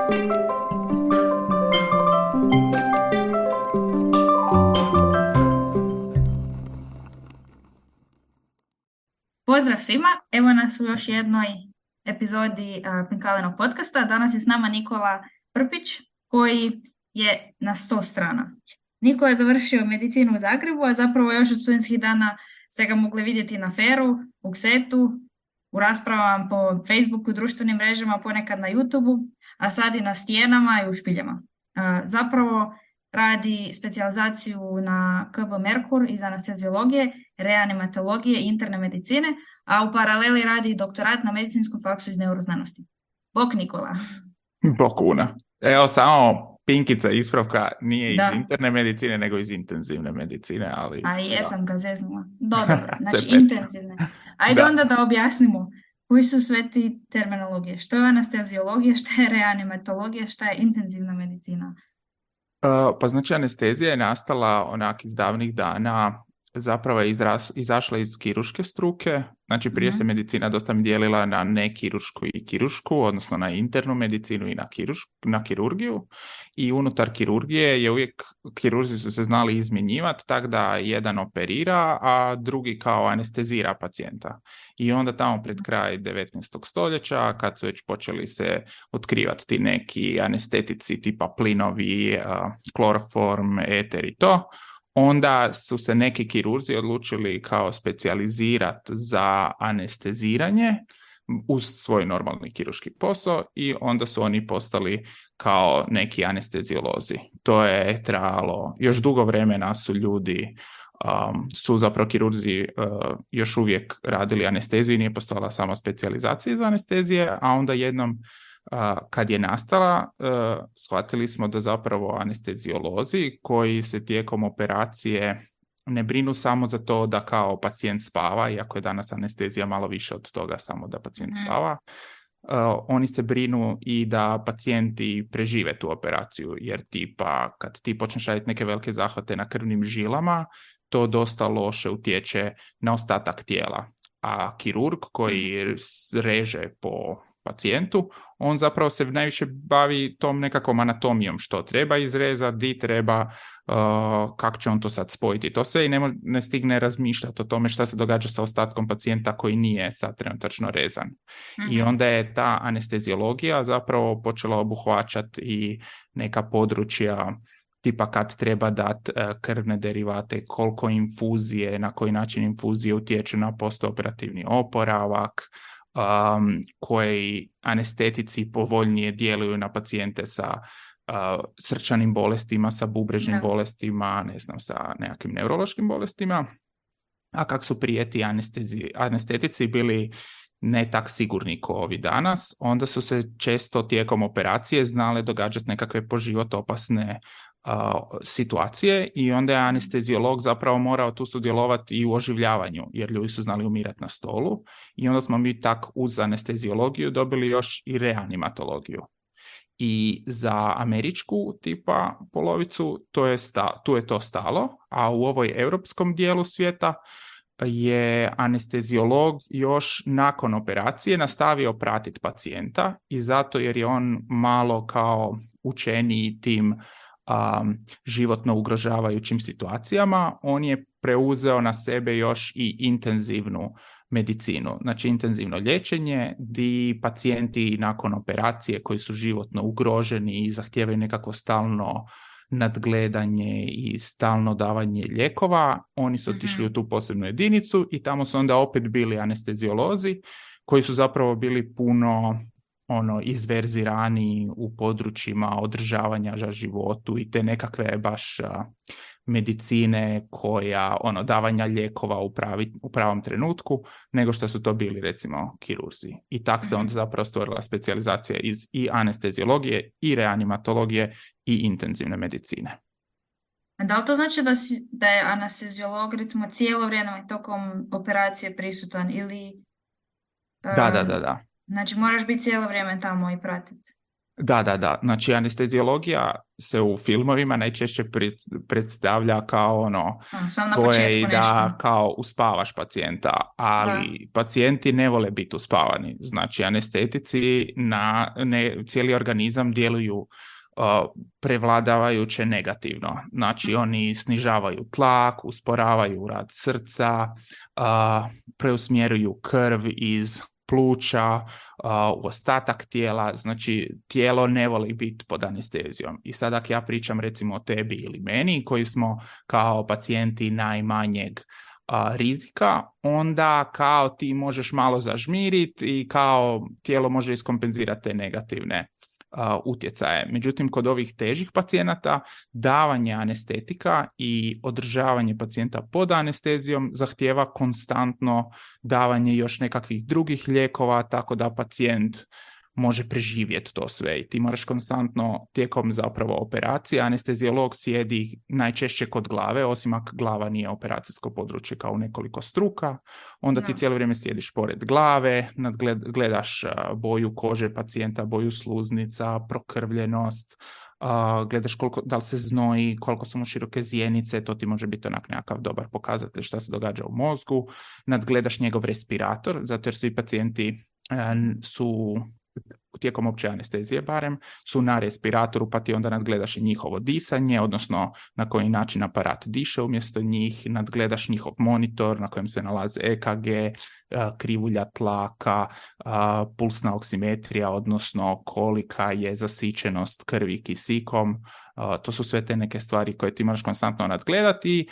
Pozdrav svima, evo nas u još jednoj epizodi Pinkalenog podcasta. Danas je s nama Nikola Prpić koji je na 100 strana. Nikola je završio medicinu u Zagrebu, a zapravo još od studentskih dana ste ga mogli vidjeti na Feru, u Ksetu, u raspravama po Facebooku, društvenim mrežama, ponekad na YouTubeu, a sad i na stijenama i u špiljama. Zapravo radi specijalizaciju na KB Merkur iz anesteziologije, reanimatologije i interne medicine, a u paraleli radi doktorat na medicinskom faksu iz neuroznanosti. Bok Nikola. Bok Una. Evo samo pinkica ispravka, nije iz Da. interne medicine, nego iz intenzivne medicine, ali... A jesam ga zeznula. Dobro, znači Sve pet. intenzivne. Ajde Da. onda da objasnimo koji su sve ti terminologije. Što je anesteziologija, što je reanimatologija, što je intenzivna medicina? Pa znači anestezija je nastala onak iz davnih dana, zapravo je izašla iz kirurške struke, znači prije se medicina dosta dijelila na nekiruršku i kiruršku, odnosno na internu medicinu i na kirurgiju, i unutar kirurgije je uvijek, kirurzi su se znali izmjenjivati, tako da jedan operira, a drugi kao anestezira pacijenta. I onda tamo pred kraj 19. stoljeća, kad su već počeli se otkrivati ti neki anestetici tipa plinovi, kloroform, eter i to, onda su se neki kirurzi odlučili kao specijalizirati za anesteziranje uz svoj normalni kirurški posao i onda su oni postali kao neki anesteziolozi. To je trajalo, još dugo vremena su ljudi, su zapravo kirurzi još uvijek radili anesteziju i nije postojala sama specijalizacija za anestezije, a onda jednom kad je nastala, shvatili smo da zapravo anesteziolozi koji se tijekom operacije ne brinu samo za to da kao pacijent spava, iako je danas anestezija malo više od toga samo da pacijent spava, oni se brinu i da pacijenti prežive tu operaciju, jer tipa kad ti počneš raditi neke velike zahvate na krvnim žilama, to dosta loše utječe na ostatak tijela. A kirurg koji reže po pacijentu, on zapravo se najviše bavi tom nekakvom anatomijom, što treba izrezati, di treba, kako će on to sad spojiti. To sve i ne stigne razmišljati o tome šta se događa sa ostatkom pacijenta koji nije sad trenutačno rezan. I onda je ta anesteziologija zapravo počela obuhvaćati i neka područja tipa kad treba dati krvne derivate, koliko infuzije, na koji način infuzije utječu na postoperativni oporavak, koji anestetici povoljnije djeluju na pacijente sa srčanim bolestima, sa bubrežnim bolestima, ne znam, sa nekakvim neurološkim bolestima. A kako su prije ti anestetici bili ne tak sigurni kao ovi danas, onda su se često tijekom operacije znale događati nekakve po život opasne situacije i onda je anesteziolog zapravo morao tu sudjelovati i u oživljavanju, jer ljudi su znali umirati na stolu, i onda smo mi tak uz anesteziologiju dobili još i reanimatologiju. I za američku tipa polovicu tu je to stalo, a u ovoj europskom dijelu svijeta je anesteziolog još nakon operacije nastavio pratiti pacijenta, i zato jer je on malo kao učeniji tim životno ugrožavajućim situacijama, on je preuzeo na sebe još i intenzivnu medicinu, znači intenzivno liječenje, di pacijenti nakon operacije koji su životno ugroženi i zahtijevaju nekako stalno nadgledanje i stalno davanje lijekova, oni su otišli u tu posebnu jedinicu i tamo su onda opet bili anesteziolozi koji su zapravo bili puno izverzirani u područjima održavanja za životu i te nekakve baš medicine koja davanja lijekova u pravom trenutku, nego što su to bili recimo kirurzi. I tak se onda zapravo stvorila specijalizacija iz i anesteziologije i reanimatologije i intenzivne medicine. A da li to znači da je anesteziolog recimo cijelo vrijeme tokom operacije prisutan ili... Da. Znači moraš biti cijelo vrijeme tamo i pratiti? Da. Znači, anesteziologija se u filmovima najčešće predstavlja kao ono, Sam na to je početku i nešto. da kao uspavaš pacijenta, ali pacijenti ne vole biti uspavani. Znači, anestetici cijeli organizam djeluju prevladavajuće negativno. Znači, oni snižavaju tlak, usporavaju rad srca, preusmjeruju krv iz pluća u ostatak tijela, znači tijelo ne voli biti pod anestezijom. I sad ako ja pričam recimo o tebi ili meni koji smo kao pacijenti najmanjeg rizika, onda kao ti možeš malo zažmiriti i kao tijelo može iskompenzirati te negativne utjecaje. Međutim, kod ovih težih pacijenata davanje anestetika i održavanje pacijenta pod anestezijom zahtijeva konstantno davanje još nekakvih drugih lijekova, tako da pacijent može preživjeti to sve i ti moraš konstantno tijekom zapravo operacije. Anesteziolog sjedi najčešće kod glave, osim ako glava nije operacijsko područje kao u nekoliko struka, onda ti cijelo vrijeme sjediš pored glave, gledaš boju kože pacijenta, boju sluznica, prokrvljenost, gledaš da li se znoji, koliko su mu široke zjenice, to ti može biti onak nekakav dobar pokazatelj šta se događa u mozgu, nadgledaš njegov respirator, zato jer svi pacijenti su tijekom opće anestezije barem, su na respiratoru, pa ti onda nadgledaš i njihovo disanje, odnosno na koji način aparat diše umjesto njih, nadgledaš njihov monitor na kojem se nalaze EKG, krivulja tlaka, pulsna oksimetrija, odnosno kolika je zasićenost krvi kisikom. To su sve te neke stvari koje ti moraš konstantno nadgledati i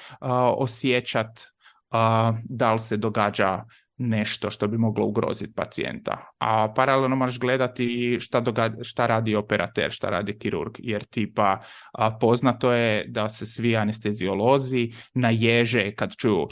osjećati da li se događa nešto što bi moglo ugroziti pacijenta. A paralelno moraš gledati šta radi operater, šta radi kirurg, jer tipa poznato je da se svi anesteziolozi naježe kad čuju,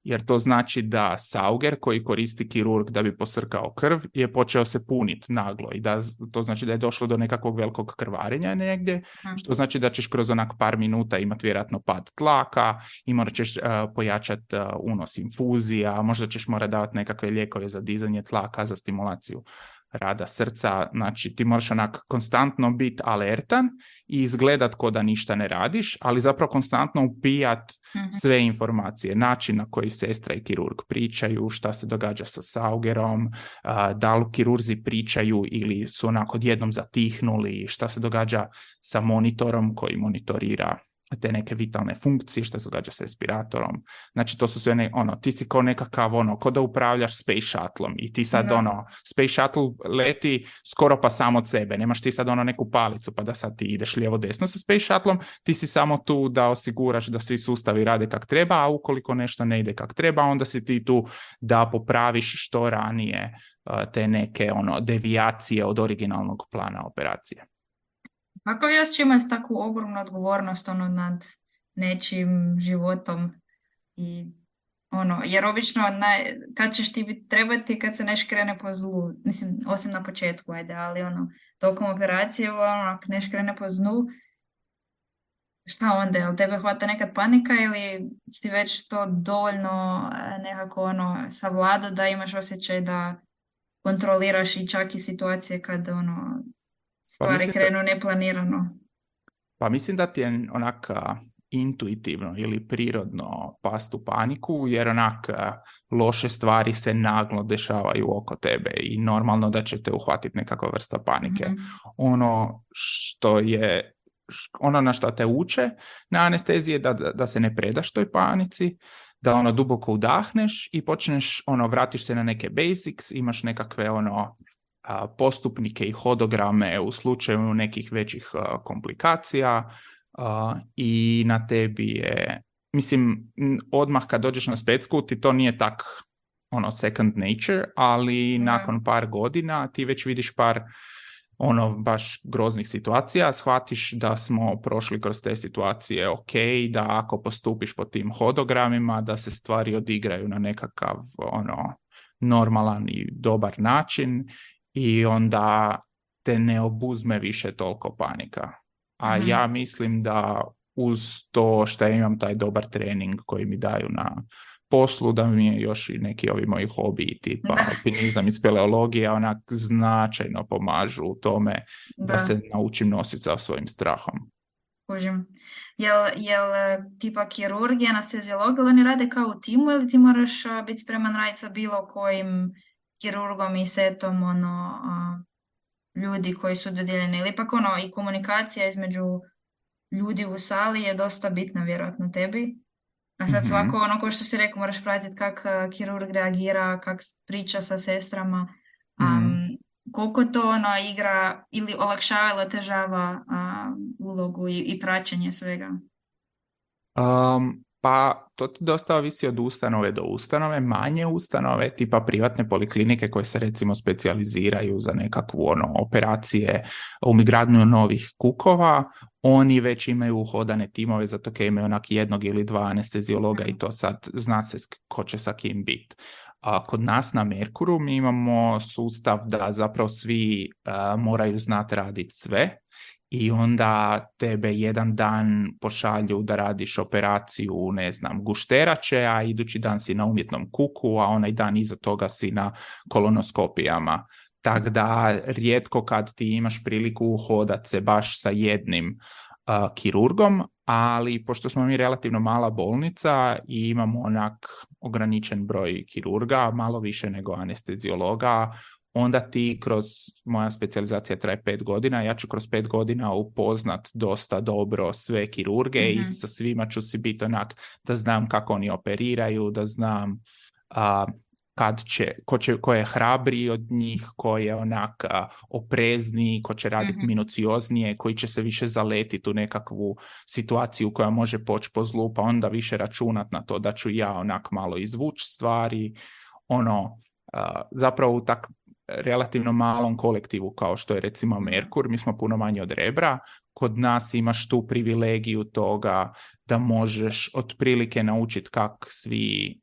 jer to znači da sauger koji koristi kirurg da bi posrkao krv je počeo se puniti naglo i da to znači da je došlo do nekakvog velikog krvarenja negdje, što znači da ćeš kroz onak par minuta imati vjerojatno pad tlaka i morat ćeš pojačati unos infuzija, možda ćeš morati davati nekakve lijekove za dizanje tlaka, za stimulaciju rada srca. Znači ti moraš onak konstantno biti alertan i izgledat ko da ništa ne radiš, ali zapravo konstantno upijat sve informacije, način na koji sestra i kirurg pričaju, šta se događa sa saugerom, da li kirurzi pričaju ili su onako odjednom zatihnuli, šta se događa sa monitorom koji monitorira te neke vitalne funkcije, što se događa s respiratorom. Znači to su sve ti si kao nekakav ko da upravljaš Space Shuttle-om i ti sad Space Shuttle leti skoro pa sam od sebe, nemaš ti sad neku palicu pa da sad ti ideš lijevo desno sa Space Shuttle-om, ti si samo tu da osiguraš da svi sustavi rade kak treba, a ukoliko nešto ne ide kak treba, onda si ti tu da popraviš što ranije te neke devijacije od originalnog plana operacije. Kako vi još imate takvu ogromnu odgovornost nad nečim životom i jer obično kad ćeš ti trebati kad se neš krene po zlu, mislim osim na početku, ali tokom operacije ako neš krene po zlu, šta onda, jel tebe hvata nekad panika ili si već to dovoljno nekako savladao da imaš osjećaj da kontroliraš i čak i situacije kad stvari krenu neplanirano? Pa mislim da ti je intuitivno ili prirodno past u paniku, jer loše stvari se naglo dešavaju oko tebe i normalno da će te uhvatiti nekakva vrsta panike. Ono na što te uče na anesteziji je da se ne predaš toj panici, da duboko udahneš i počneš, vratiš se na neke basics, imaš nekakve postupnike i hodograme u slučaju nekih većih komplikacija i na tebi je, mislim, odmah kad dođeš na specku ti to nije tak second nature, ali nakon par godina ti već vidiš par baš groznih situacija, shvatiš da smo prošli kroz te situacije da ako postupiš po tim hodogramima da se stvari odigraju na nekakav normalan i dobar način i onda te ne obuzme više toliko panika. A ja mislim da uz to što imam taj dobar trening koji mi daju na poslu da mi je još i neki ovi moji hobiji tipa Da. alpinizam i speleologija onak značajno pomažu u tome da Da. se naučim nositi sa svojim strahom. Kužim. Jel tipa kirurg i anesteziolog, ili oni rade kao u timu ili ti moraš biti spreman raditi sa bilo kojim kirurgom i setom ljudi koji su dodijeljeni, ili ipak i komunikacija između ljudi u sali je dosta bitna vjerojatno tebi. A sad svako ko što si rekao, moraš pratiti kak kirurg reagira, kak priča sa sestrama. Koliko to igra ili olakšava ili otežava ulogu i praćenje svega? Pa to ti dosta ovisi od ustanove do ustanove. Manje ustanove, tipa privatne poliklinike koje se recimo specijaliziraju za nekakvu operacije umigradnju novih kukova, oni već imaju uhodane timove, zato kaj imaju onak jednog ili dva anesteziologa i to sad zna se ko će sa kim biti. A kod nas na Merkuru mi imamo sustav da zapravo svi moraju znati raditi sve i onda tebe jedan dan pošalju da radiš operaciju, ne znam, gušterače, a idući dan si na umjetnom kuku, a onaj dan iza toga si na kolonoskopijama. Tako da rijetko kad ti imaš priliku uhodat se baš sa jednim kirurgom, ali pošto smo mi relativno mala bolnica i imamo onak ograničen broj kirurga, malo više nego anesteziologa, onda ti kroz, moja specijalizacija traje 5 godina, ja ću kroz 5 godina upoznat dosta dobro sve kirurge i sa svima ću si biti onak da znam kako oni operiraju, da znam ko je hrabriji od njih, ko je onak oprezniji, ko će raditi minucioznije, koji će se više zaletiti u nekakvu situaciju koja može poći po zlu, pa onda više računat na to da ću ja onak malo izvući stvari. Zapravo u tak relativno malom kolektivu kao što je recimo Merkur, mi smo puno manje od Rebra, kod nas imaš tu privilegiju toga da možeš otprilike naučiti kak svi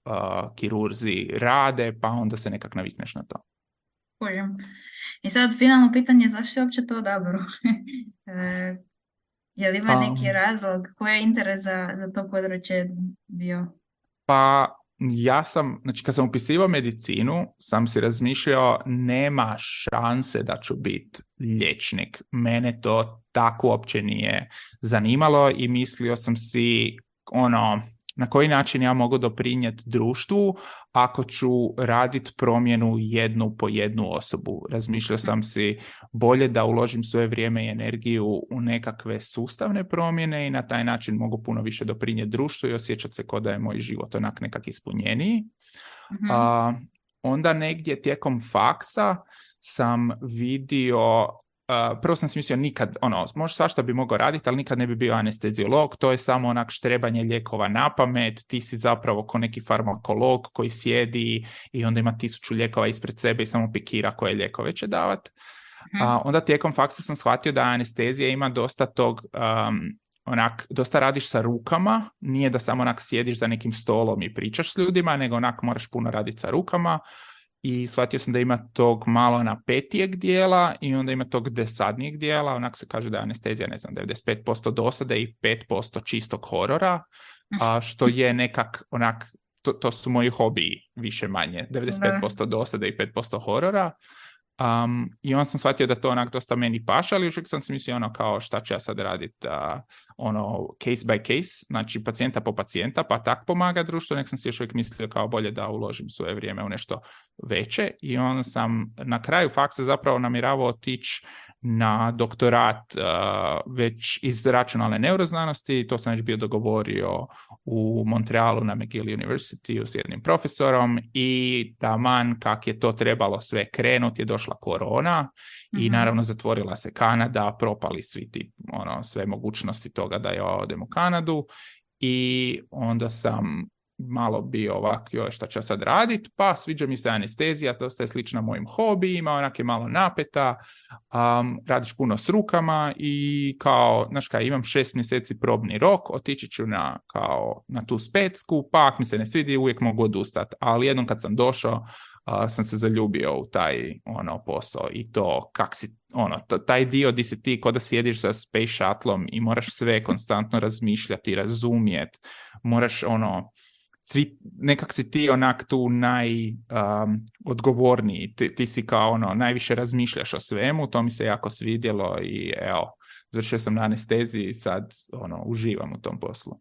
kirurzi rade, pa onda se nekak navikneš na to. Kužim. I sad finalno pitanje, zašto si uopće to odabrao? Je li ima neki razlog? Koji je interes za to područje bio? Pa ja sam, znači kad sam upisivao medicinu, sam si razmišljao nema šanse da ću biti liječnik. Mene to tako uopće nije zanimalo i mislio sam si na koji način ja mogu doprinijeti društvu ako ću raditi promjenu jednu po jednu osobu. Razmišljao sam si bolje da uložim svoje vrijeme i energiju u nekakve sustavne promjene i na taj način mogu puno više doprinijeti društvu i osjećati se kao da je moj život onak nekak ispunjeniji. Onda negdje tijekom faksa sam vidio, prvo sam si mislio nikad, možda svašta bi mogao raditi, ali nikad ne bi bio anesteziolog, to je samo onak štrebanje lijekova na pamet, ti si zapravo ko neki farmakolog koji sjedi i onda ima 1000 lijekova ispred sebe i samo pikira koje lijekove će davat. Onda tijekom faksa sam shvatio da anestezija ima dosta tog, dosta radiš sa rukama, nije da samo onak sjediš za nekim stolom i pričaš s ljudima, nego onak moraš puno raditi sa rukama. I shvatio sam da ima tog malo napetijeg dijela i onda ima tog desadnijeg dijela, onak se kaže da je anestezija, ne znam, 95% dosade i 5% čistog horora, što je nekak onak, to su moji hobiji više manje, 95% dosade i 5% horora. I onda sam shvatio da to onak dosta meni paša, ali još uvijek sam si mislio kao šta ću ja sad raditi case by case, znači pacijenta po pacijenta, pa tak pomaga društvu, nek sam si još uvijek mislio kao bolje da uložim svoje vrijeme u nešto veće i onda sam na kraju faksa zapravo namjeravao otići na doktorat već iz računalne neuroznanosti, to sam već bio dogovorio u Montrealu na McGill University s jednim profesorom i taman kak je to trebalo sve krenuti je došla korona i naravno zatvorila se Kanada, propali svi ti sve mogućnosti toga da ja odem u Kanadu i onda sam malo bio ovak, šta ću sad raditi, pa sviđa mi se anestezija, dosta je slična mojim hobijima, onak je malo napeta, radiš puno s rukama i kao, znaš kaj, imam 6 mjeseci probni rok, otići ću na tu specku, pa ako mi se ne svidi, uvijek mogu odustati, ali jednom kad sam došao, sam se zaljubio u taj posao i to kak si, taj dio di si ti ko da sjediš za Space Shuttlom i moraš sve konstantno razmišljati, razumjeti, moraš nekak si ti onak tu odgovorniji, ti si kao najviše razmišljaš o svemu, to mi se jako svidjelo i evo, završio sam na anesteziji i sad uživam u tom poslu.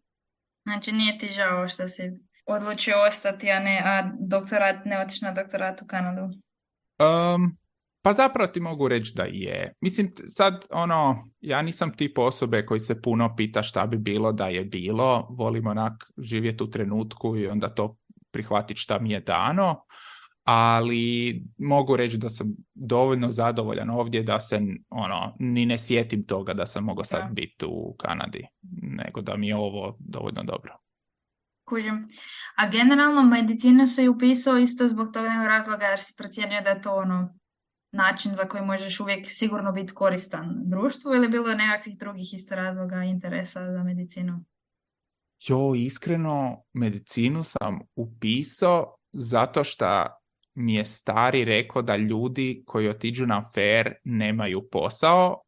Znači nije ti žao što si odlučio ostati, ne otići na doktorat u Kanadu? Pa zapravo ti mogu reći da je. Mislim, sad, ja nisam tip osobe koji se puno pita šta bi bilo da je bilo. Volim onak živjeti u trenutku i onda to prihvatiti šta mi je dano. Ali mogu reći da sam dovoljno zadovoljan ovdje da se, ni ne sjetim toga da sam mogao sad biti u Kanadi. Nego da mi je ovo dovoljno dobro. Kužim. A generalno medicinu si upisao isto zbog tog nekog razloga jer si procijenio da je to način za koji možeš uvijek sigurno biti koristan društvu ili bilo nekakvih drugih isto razloga interesa za medicinu? Iskreno, medicinu sam upisao zato što mi je stari rekao da ljudi koji otiđu na fair nemaju posao,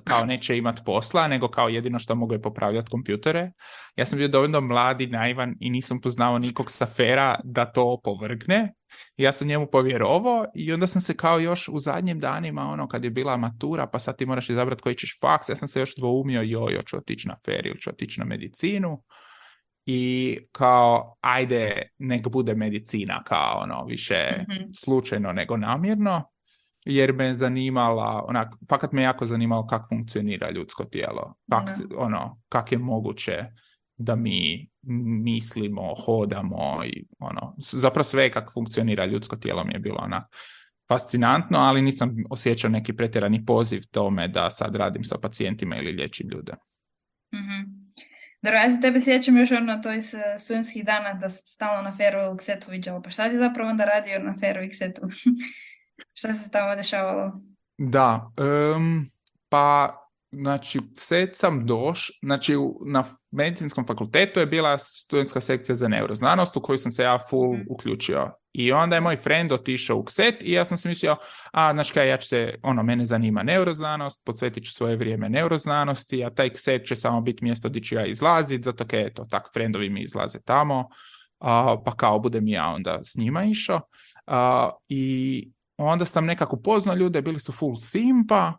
kao neće imati posla, nego kao jedino što mogu je popravljati kompjutere. Ja sam bio dovoljno mladi, naivan i nisam poznao nikog sa fera da to opovrgne. Ja sam njemu povjerovao i onda sam se kao još u zadnjim danima, kad je bila matura, pa sad ti moraš izabrati koji ćeš faks, ja sam se još dvoumio, ću otići na fair ili ću otići na medicinu. I kao, ajde, nek bude medicina, kao više slučajno nego namjerno, jer me zanimala, fakat me jako zanimalo kako funkcionira ljudsko tijelo, kak je moguće da mi mislimo, hodamo i zapravo sve kako funkcionira ljudsko tijelo mi je bilo fascinantno, ali nisam osjećao neki pretjerani poziv tome da sad radim sa pacijentima ili liječim ljude. Mm-hmm. Dobro, ja se tebe sjećam još to iz studentskih dana da si stalno na Feru u Ksetu viđala. Pa šta si zapravo onda radio na Feru i Ksetu? Šta se tamo dešavalo? Da, pa znači Kset sam znači na medicinskom fakultetu je bila studentska sekcija za neuroznanost u koju sam se ja full uključio. I onda je moj friend otišao u Kset i ja sam se mislio, znači kaj, ja ću se, mene zanima neuroznanost, posvetit ću svoje vrijeme neuroznanosti, a taj Kset će samo biti mjesto gdje ću ja izlaziti, zato kaj eto, tak friendovi mi izlaze tamo, pa kao budem ja onda s njima išao. I onda sam nekako upoznao ljude, bili su full simpa,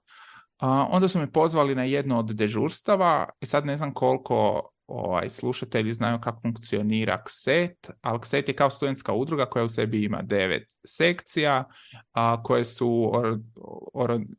onda su me pozvali na jedno od dežurstava i sad ne znam koliko slušatelji znaju kako funkcionira KSET, ali KSET je kao studentska udruga koja u sebi ima 9 sekcija koje su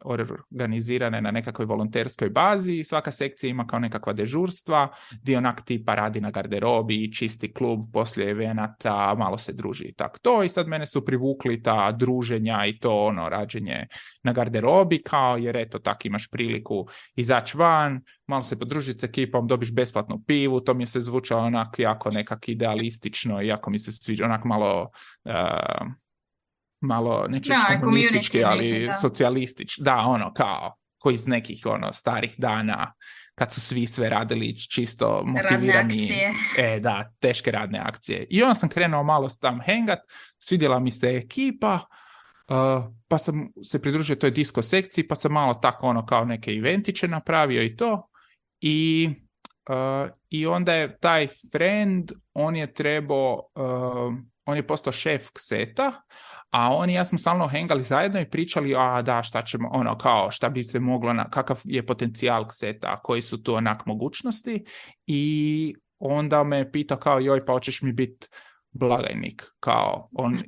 organizirane na nekakvoj volonterskoj bazi i svaka sekcija ima kao nekakva dežurstva gdje onak tipa radi na garderobi, čisti klub poslije evenata, malo se druži i tako to. I sad mene su privukli ta druženja i to rađenje na garderobi, kao jer eto tak imaš priliku izaći van, malo se podružiti s ekipom, dobiš besplatnu pivu, to mi se zvučalo onak jako nekak idealistično i jako mi se sviđa, onak malo neću komunistički, ali socijalistički, da, kao koji iz nekih starih dana kad su svi sve radili čisto motivirani. Da, teške radne akcije. I onda sam krenuo malo tam hengat, svidjela mi se ekipa, pa sam se pridružio toj disco sekciji, pa sam malo tako kao neke eventiće napravio i to. I onda je taj friend, on je postao šef Kseta, a on i ja smo stalno hengali zajedno i pričali, šta ćemo, šta bi se moglo, kakav je potencijal Kseta, koji su tu onak mogućnosti. I onda me pitao kao, pa hoćeš mi biti blagajnik,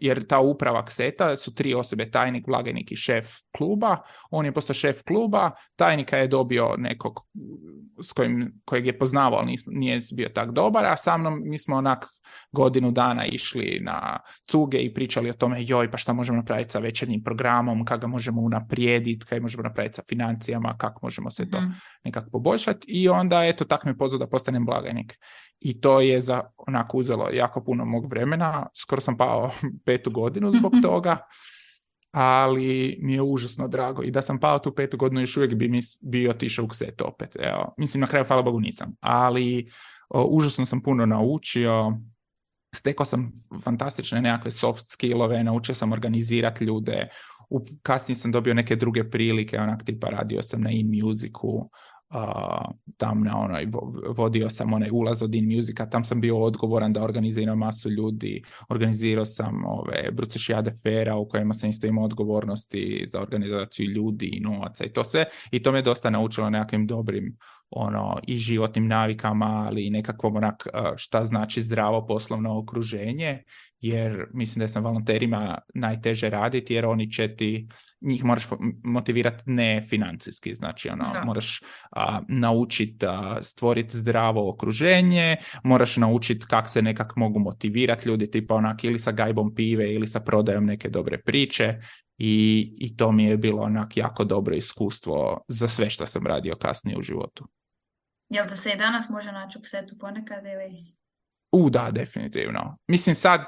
jer ta uprava Kseta su 3 osobe, tajnik, blagajnik i šef kluba. On je postao šef kluba, tajnika je dobio nekog kojeg je poznavao, ali nije bio tak dobar, a sa mnom mi smo onak godinu dana išli na cuge i pričali o tome, pa šta možemo napraviti sa večernjim programom, kako ga možemo unaprijediti, kaj možemo napraviti sa financijama, kako možemo se to nekako poboljšati. I onda eto tak me pozvao da postanem blagajnik. I to je onako uzelo jako puno mog vremena, skoro sam pao 5. godinu zbog toga, ali mi je užasno drago. I da sam pao tu 5. godinu, još uvijek bi mi bio otišao u Kset opet. Evo, mislim, na kraju, hvala Bogu, nisam. Ali užasno sam puno naučio, stekao sam fantastične nekakve soft skillove, naučio sam organizirati ljude, kasnije sam dobio neke druge prilike, onak tipa radio sam na InMusicu, tam na vodio sam onaj ulaz od In Musica, tam sam bio odgovoran da organiziram masu ljudi, organizirao sam ove Brucešijade fera u kojima sam isto imao odgovornosti za organizaciju ljudi i novaca i to sve, i to me dosta naučilo nekakvim dobrim i životnim navikama, ali i nekakvom šta znači zdravo poslovno okruženje, jer mislim da je sa volonterima najteže raditi, jer oni će njih moraš motivirati ne financijski, znači moraš naučiti stvoriti zdravo okruženje, moraš naučiti kako se nekak mogu motivirati ljudi, tipa ili sa gajbom pive ili sa prodajom neke dobre priče, i to mi je bilo jako dobro iskustvo za sve što sam radio kasnije u životu. Jel te se i danas može naći u Ksetu ponekad ili... Da, definitivno. Mislim sad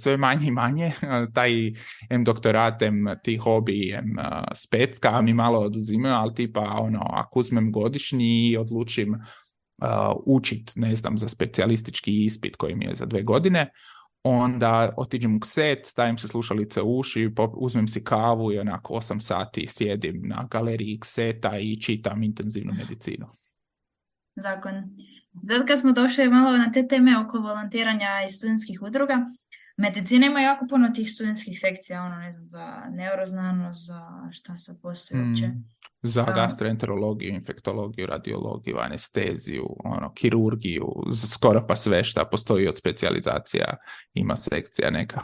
sve manje i manje, taj doktorat, ti hobi, specka mi malo oduzimaju, ali tipa ako uzmem godišnji i odlučim učit, ne znam, za specijalistički ispit koji mi je za 2 godine, onda otiđem u Kset, stavim se slušalice u uši, uzmem si kavu i 8 sati sjedim na galeriji Kseta i čitam intenzivnu medicinu. Zakon. Zato kad smo došli malo na te teme oko volontiranja i studentskih udruga, medicina ima jako puno tih studentskih sekcija, ne znam, za neuroznanost, za šta se postoji uopće. Za gastroenterologiju, infektologiju, radiologiju, anesteziju, kirurgiju, skoro pa sve šta postoji od specijalizacija ima sekcija neka.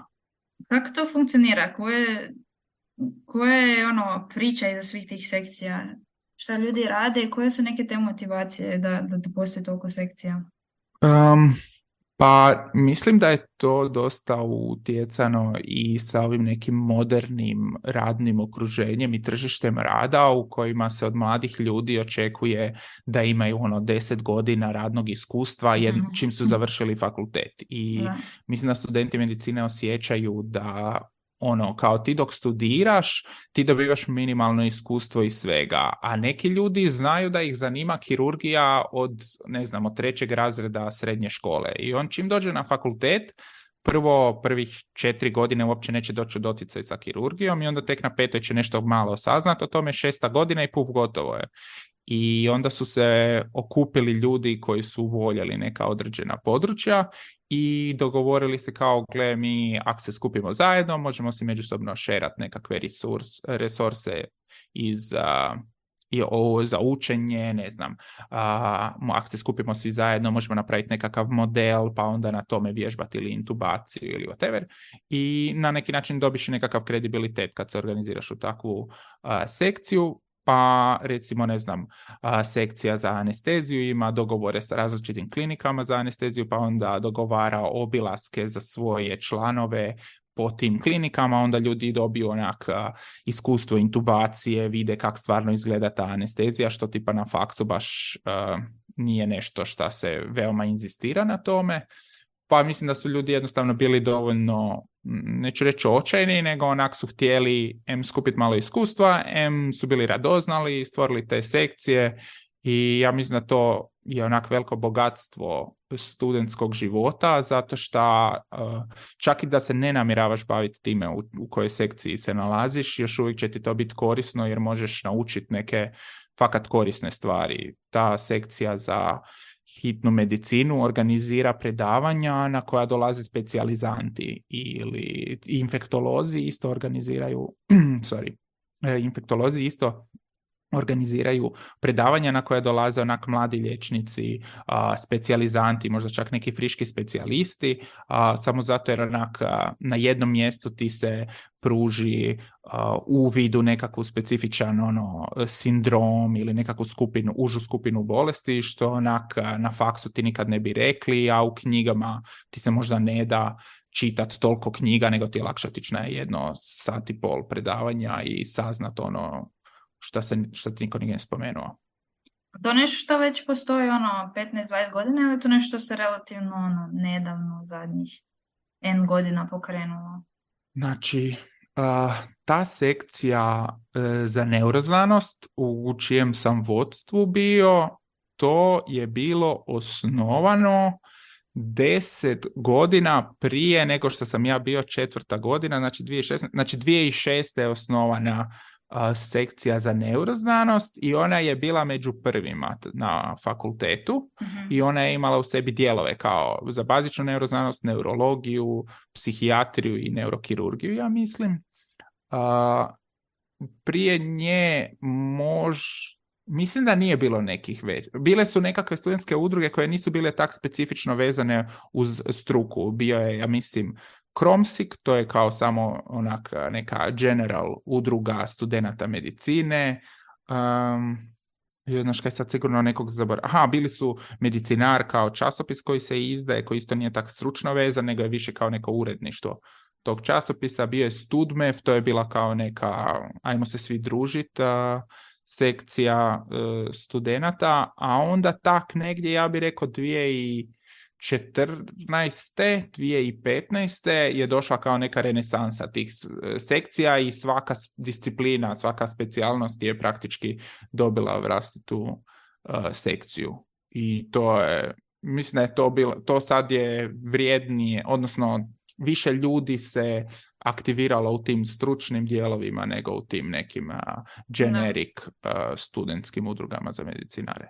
Kako to funkcionira? Koja je priča iza svih tih sekcija? Šta ljudi rade i koje su neke te motivacije da postoji toliko sekcija? Pa mislim da je to dosta utjecano i sa ovim nekim modernim radnim okruženjem i tržištem rada u kojima se od mladih ljudi očekuje da imaju 10 godina radnog iskustva čim su završili fakultet. I mislim da studenti medicine osjećaju da kao ti dok studiraš, ti dobivaš minimalno iskustvo i svega, a neki ljudi znaju da ih zanima kirurgija od 3. razreda srednje škole. I on čim dođe na fakultet, prvih 4 godine uopće neće doći u doticaj sa kirurgijom i onda tek na 5. će nešto malo saznati o tome, 6. godina i puf, gotovo je. I onda su se okupili ljudi koji su voljeli neka određena područja i dogovorili se kao, gle, mi ako se skupimo zajedno, možemo si međusobno šerati nekakve resurse za učenje, ne znam, ako se skupimo svi zajedno, možemo napraviti nekakav model, pa onda na tome vježbati ili intubaciju ili whatever, i na neki način dobiš nekakav kredibilitet kad se organiziraš u takvu sekciju. Pa recimo, ne znam, sekcija za anesteziju ima dogovore sa različitim klinikama za anesteziju, pa onda dogovara obilaske za svoje članove po tim klinikama, onda ljudi dobiju iskustvo intubacije, vide kako stvarno izgleda ta anestezija, što tipa na faksu baš nije nešto što se veoma inzistira na tome. Pa mislim da su ljudi jednostavno bili dovoljno, neću reći očajni, nego su htjeli skupiti malo iskustva, su bili radoznali, stvorili te sekcije, i ja mislim da to je veliko bogatstvo studentskog života, zato što čak i da se ne namjeravaš baviti time u kojoj sekciji se nalaziš, još uvijek će ti to biti korisno jer možeš naučiti neke fakat korisne stvari. Ta sekcija za hitnu medicinu organizira predavanja na koja dolaze specijalizanti, ili infektolozi isto organiziraju infektolozi isto organiziraju predavanja na koje dolaze mladi liječnici, specijalizanti, možda čak neki friški specijalisti, samo zato jer na jednom mjestu ti se pruži uvid u nekakvu specifičan sindrom ili nekakvu užu skupinu bolesti, što na faksu ti nikad ne bi rekli, a u knjigama ti se možda ne da čitati toliko knjiga, nego ti je lakše otići na 1,5 sata predavanja i saznat što ti niko nije spomenuo. To je nešto što već postoji 15-20 godina, ili to nešto se relativno nedavno, zadnjih N godina pokrenulo? Znači, ta sekcija za neuroznanost u čijem sam vodstvu bio, to je bilo osnovano 10 godina prije nego što sam ja bio 4. godina, znači 2006. je osnovana sekcija za neuroznanost i ona je bila među prvima na fakultetu i ona je imala u sebi dijelove kao za bazičnu neuroznanost, neurologiju, psihijatriju i neurokirurgiju, ja mislim. Prije nje mislim da nije bilo nekih već. Bile su nekakve studentske udruge koje nisu bile tak specifično vezane uz struku. Bio je, ja mislim, Kromsik, to je kao samo onak neka general udruga studenata medicine. Znaš kaj sad sigurno nekog zaboravim. Bili su Medicinar kao časopis koji se izdaje, koji isto nije tak stručno vezan, nego je više kao neko uredništvo tog časopisa. Bio je Studmev, to je bila kao neka, ajmo se svi družiti, sekcija studenata, a onda tak negdje, ja bih rekao 2014. 2015. je došla kao neka renesansa tih sekcija i svaka disciplina, svaka specijalnost je praktički dobila vlastitu sekciju. I to je, mislim da je to bilo, to sad je vrijednije, odnosno više ljudi se aktiviralo u tim stručnim dijelovima nego u tim nekim generic studentskim udrugama za medicinare.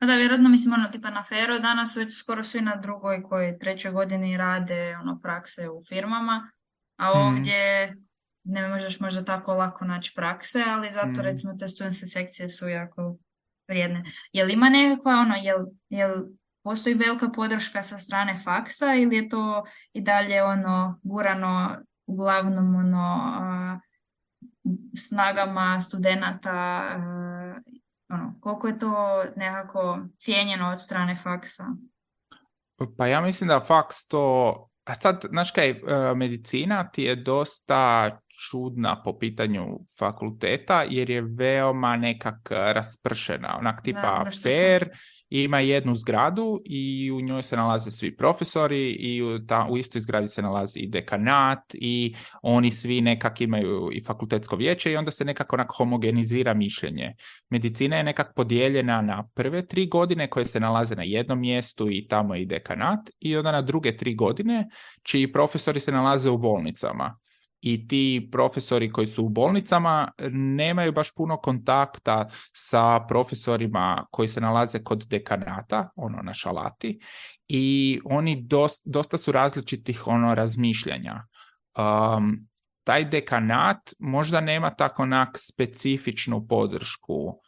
Da, vjerojatno, mislim, tipa na Fero danas već skoro svi na drugoj koji trećoj godini rade prakse u firmama, a ovdje ne možeš možda tako lako naći prakse, ali zato recimo te studentske sekcije su jako vrijedne. Jel ima nekakva jel postoji velika podrška sa strane faksa ili je to i dalje gurano uglavnom snagama studenata, koliko je to nekako cijenjeno od strane faksa? Pa ja mislim da faks to, a sad, znaš kaj, medicina ti je dosta čudna po pitanju fakulteta, jer je veoma nekak raspršena, onak tipa fair, ima jednu zgradu i u njoj se nalaze svi profesori i u istoj zgradi se nalazi i dekanat i oni svi nekak imaju i fakultetsko vijeće i onda se nekako onak homogenizira mišljenje. Medicina je nekak podijeljena na prve 3 godine koje se nalaze na jednom mjestu i tamo je i dekanat i onda na druge 3 godine čiji profesori se nalaze u bolnicama. I ti profesori koji su u bolnicama nemaju baš puno kontakta sa profesorima koji se nalaze kod dekanata, na šalati, i oni dosta su različitih razmišljanja. Taj dekanat možda nema tako onak specifičnu podršku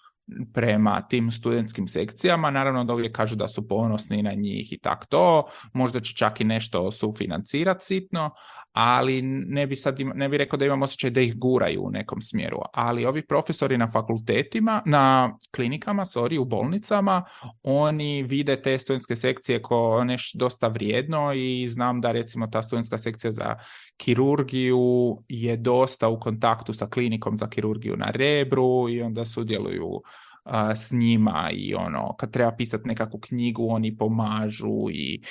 prema tim studentskim sekcijama, naravno da uvijek kažu da su ponosni na njih i tak to, možda će čak i nešto sufinancirati sitno, ali ne bi rekao da imam osjećaj da ih guraju u nekom smjeru, ali ovi profesori na fakultetima, na klinikama, u bolnicama, oni vide te studentske sekcije kao nešto dosta vrijedno i znam da recimo ta studentska sekcija za kirurgiju je dosta u kontaktu sa klinikom za kirurgiju na Rebru i onda sudjeluju s njima i kad treba pisati nekakvu knjigu oni pomažu i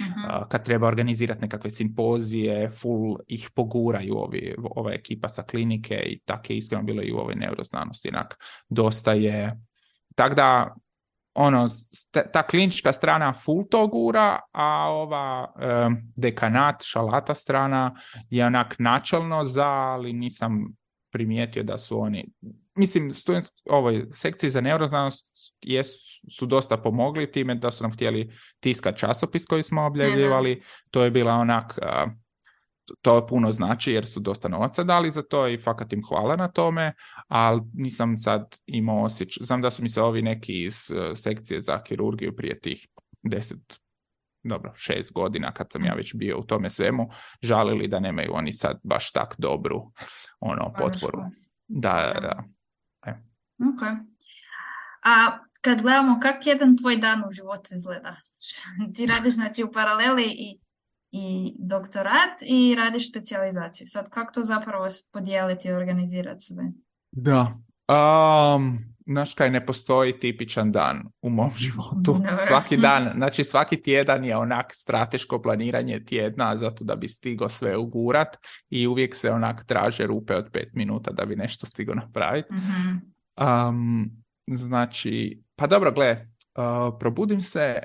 kad treba organizirati nekakve simpozije full ih poguraju ova ekipa sa klinike i tako je iskreno bilo i u ovoj neuroznanosti, jednak dosta je, tako da ta klinička strana full to gura, a ova dekanat, šalata strana je onak načelno ali nisam primijetio da su oni, mislim, ovoj sekciji za neuroznanost su dosta pomogli time da su nam htjeli tiskati časopis koji smo objavljivali, to je bila onak, to puno znači jer su dosta novaca dali za to i fakat im hvala na tome, ali nisam sad imao osjećaj, znam da su mi se ovi neki iz sekcije za kirurgiju prije tih 6 godina kad sam ja već bio u tome svemu, žalili da nemaju oni sad baš tak dobru potporu. Da. Okay. A kad gledamo kako jedan tvoj dan u životu izgleda, ti radiš znači u paraleli i doktorat i radiš specijalizaciju. Sad kako to zapravo podijeliti i organizirati sve? Da. Znaš kaj, ne postoji tipičan dan u mom životu. Svaki dan, znači svaki tjedan je onak strateško planiranje tjedna zato da bi stigo sve ugurat i uvijek se onak traže rupe od 5 minuta da bi nešto stigo napraviti. Znači, pa dobro, probudim se,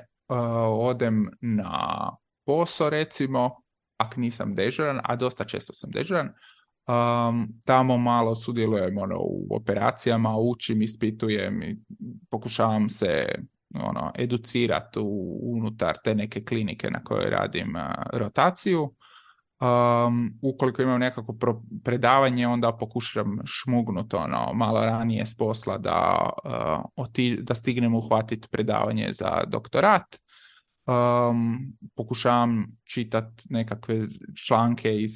odem na posao recimo, ako nisam dežuran, a dosta često sam dežuran, Tamo malo sudjelujem u operacijama, učim, ispitujem i pokušavam se educirati unutar te neke klinike na kojoj radim rotaciju. Ukoliko imam nekako predavanje, onda pokušam šmugnuti malo ranije s posla da stignem uhvatiti predavanje za doktorat. Pokušavam čitati nekakve članke iz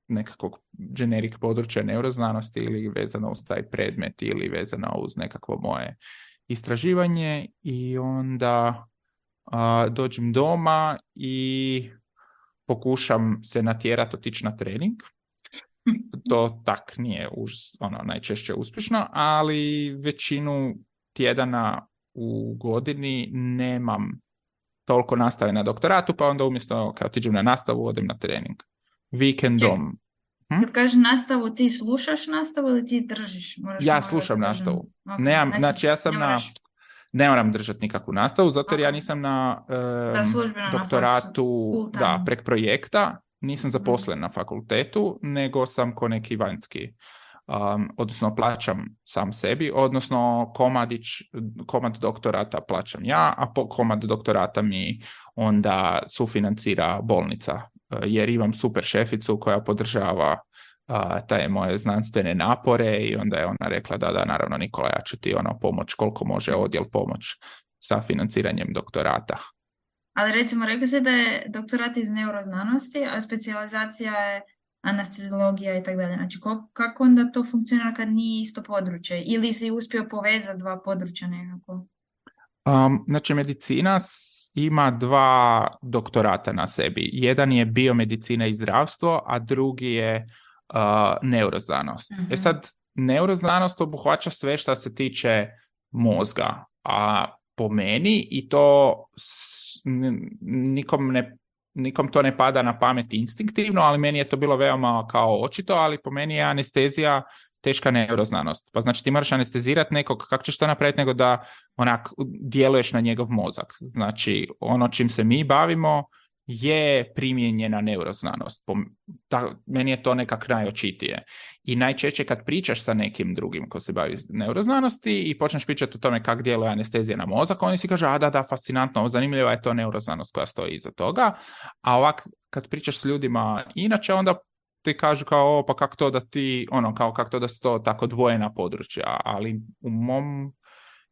nekakvog generik područja neuroznanosti ili vezano uz taj predmet ili vezano uz nekakvo moje istraživanje i onda dođem doma i pokušam se natjerati otići na trening. To tak nije najčešće uspješno, ali većinu tjedana u godini nemam toliko nastave na doktoratu, pa onda umjesto kad otiđem na nastavu, odem na trening. Vikendom. Kad kažeš nastavu, ti slušaš nastavu ili ti držiš? Ja slušam nastavu. Okay. Znači, ja sam ne moram držati nikakvu nastavu, zato jer ja nisam na doktoratu prek projekta, nisam zaposlen na fakultetu, nego sam ko neki vanjski. Odnosno plaćam sam sebi, odnosno komad doktorata plaćam ja, a komad doktorata mi onda sufinancira bolnica, jer imam super šeficu koja podržava te moje znanstvene napore i onda je ona rekla da naravno Nikola, ja ću ti pomoć koliko može odjel pomoć sa financiranjem doktorata. Ali recimo rekao se da je doktorat iz neuroznanosti, a specijalizacija je anesteziologija i tako dalje. Znači kako onda to funkcionira kad nije isto područje? Ili si uspio povezati dva područja nekako? Znači medicina ima dva doktorata na sebi. Jedan je biomedicina i zdravstvo, a drugi je neuroznanost. Uh-huh. Sad, neuroznanost obuhvaća sve što se tiče mozga, a po meni i to nikom to ne pada na pamet instinktivno, ali meni je to bilo veoma kao očito, ali po meni je anestezija teška neuroznanost. Pa znači ti moraš anestezirati nekog, kako ćeš to napraviti nego da djeluješ na njegov mozak. Znači ono čim se mi bavimo je primijenjena neuroznanost. Meni je to nekak najočitije. I najčešće kad pričaš sa nekim drugim ko se bavi neuroznanosti i počneš pričati o tome kako djeluje anestezija na mozak, oni si kažu, da, fascinantno, zanimljiva je to neuroznanost koja stoji iza toga. A ovak, kad pričaš s ljudima inače, onda ti kažu kao, pa kako to da ti, kako to da su to tako odvojena područja, ali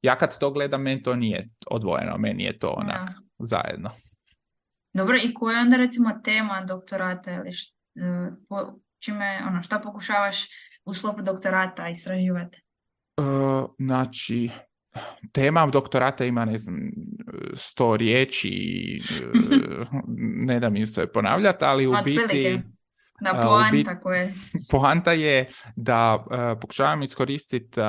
ja kad to gledam, meni to nije odvojeno, meni je to zajedno. Dobro, i koja je onda recimo tema doktorata ili šta pokušavaš u sklopu doktorata istraživati? Znači, tema doktorata ima, 100 riječi, ne da mi se ponavljati, ali u biti... Da, poanta koje. Poanta je da pokušavam iskoristiti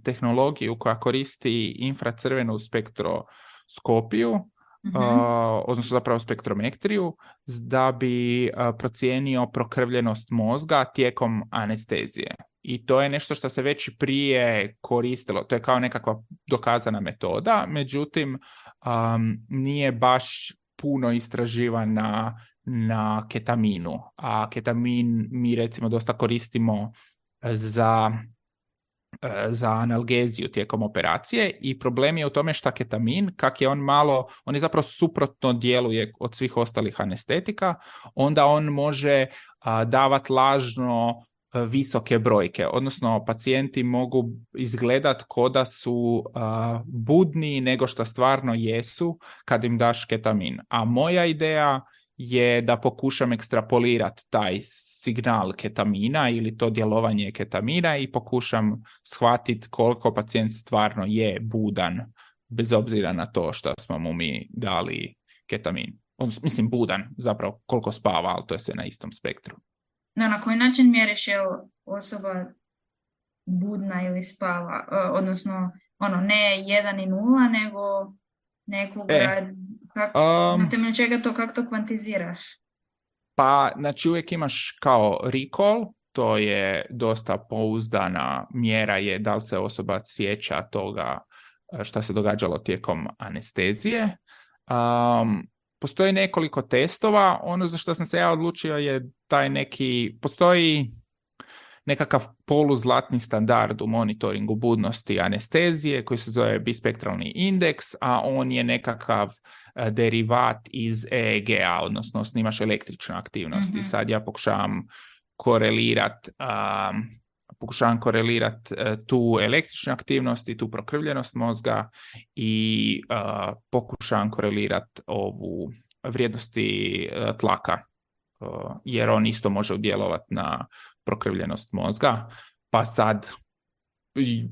tehnologiju koja koristi infracrvenu spektroskopiju, odnosno zapravo spektrometriju, da bi procijenio prokrvljenost mozga tijekom anestezije. I to je nešto što se već prije koristilo. To je kao nekakva dokazana metoda, međutim nije baš puno istraživana na ketaminu. A ketamin mi recimo dosta koristimo za analgeziju tijekom operacije i problem je u tome što ketamin, kak je on je zapravo suprotno djeluje od svih ostalih anestetika, onda on može davati lažno visoke brojke, odnosno pacijenti mogu izgledati ko da su budniji nego što stvarno jesu kad im daš ketamin. A moja ideja je da pokušam ekstrapolirati taj signal ketamina ili to djelovanje ketamina i pokušam shvatiti koliko pacijent stvarno je budan, bez obzira na to što smo mu mi dali ketamin. Mislim, budan, zapravo koliko spava, ali to je sve na istom spektru. No, na koji način mjeriš je osoba budna ili spava? Odnosno, ne 1 i 0, nego nekog na temelju čega to, kako to kvantiziraš? Pa, znači uvijek imaš kao recall, to je dosta pouzdana mjera je da li se osoba sjeća toga šta se događalo tijekom anestezije. postoji nekoliko testova. Ono za što sam se ja odlučio je postoji nekakav poluzlatni standard u monitoringu budnosti anestezije koji se zove bispektralni indeks, a on je nekakav derivat iz EEG-a, odnosno snimaš električne aktivnosti. Sad ja pokušavam korelirati tu električnu aktivnost i tu prokrvljenost mozga i pokušavam korelirati ovu vrijednosti tlaka, jer on isto može udjelovati na prokrvljenost mozga. Pa sad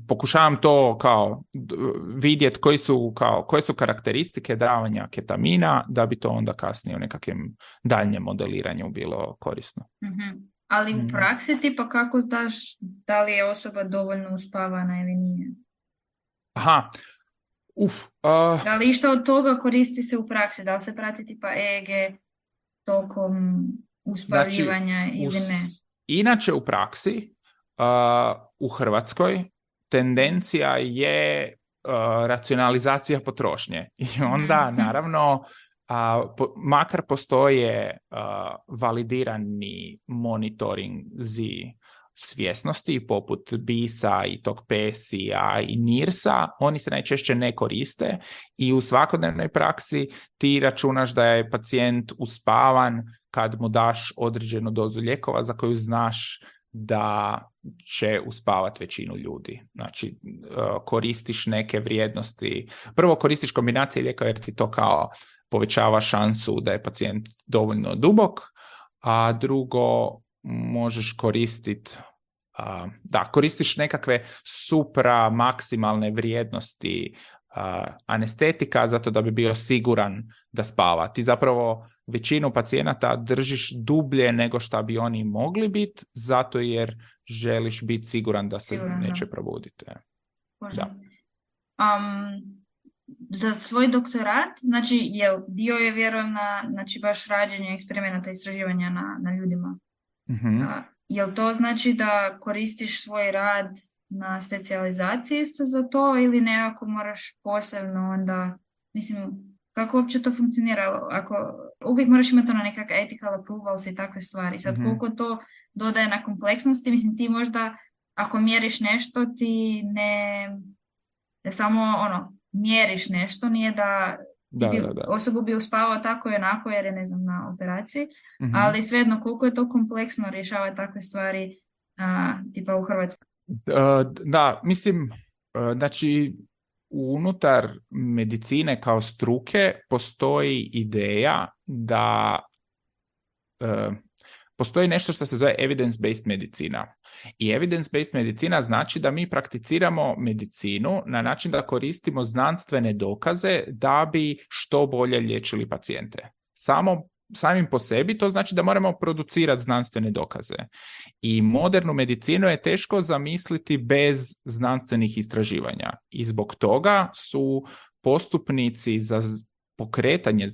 pokušavam to kao vidjeti koje su karakteristike davanja ketamina da bi to onda kasnije u nekakvim daljnjem modeliranju bilo korisno. Ali u praksi tipa kako znaš da li je osoba dovoljno uspavana ili nije? Da li išta od toga koristi se u praksi? Da li se prati tipa EEG tokom uspavljivanja ili ne? Inače u praksi u Hrvatskoj tendencija je racionalizacija potrošnje. I onda naravno makar postoje validirani monitorinzi svjesnosti poput BIS-a i tog PSI-a i NIRS-a, oni se najčešće ne koriste i u svakodnevnoj praksi ti računaš da je pacijent uspavan kad mu daš određenu dozu lijekova za koju znaš da će uspavati većinu ljudi. Znači, koristiš neke vrijednosti. Prvo koristiš kombinacije lijekova jer ti to kao povećava šansu da je pacijent dovoljno dubok, a drugo možeš koristiti koristiš nekakve supra maksimalne vrijednosti anestetika zato da bi bio siguran da spava. Ti zapravo većinu pacijenata držiš dublje nego što bi oni mogli biti, zato jer želiš biti siguran da se neće probuditi. Da. Za svoj doktorat, znači dio je vjerujem znači baš rađenje eksperimenata i istraživanja na ljudima. Jel to znači da koristiš svoj rad na specijalizaciji isto za to ili nekako moraš posebno onda, mislim, kako uopće to funkcionira? Ako uvijek moraš imati ono nekakav ethical approvals i takve stvari. Sad koliko to dodaje na kompleksnosti, mislim ti možda ako mjeriš nešto ti ne samo mjeriš nešto, nije da osobu bi uspavao tako i onako jer je ne znam na operaciji, ali svejedno koliko je to kompleksno rješavati takve stvari tipa u Hrvatskoj. Mislim, znači unutar medicine kao struke postoji ideja da postoji nešto što se zove evidence-based medicina. I evidence-based medicina znači da mi prakticiramo medicinu na način da koristimo znanstvene dokaze da bi što bolje liječili pacijente. Samim po sebi to znači da moramo producirati znanstvene dokaze. I modernu medicinu je teško zamisliti bez znanstvenih istraživanja. I zbog toga su postupnici za pokretanje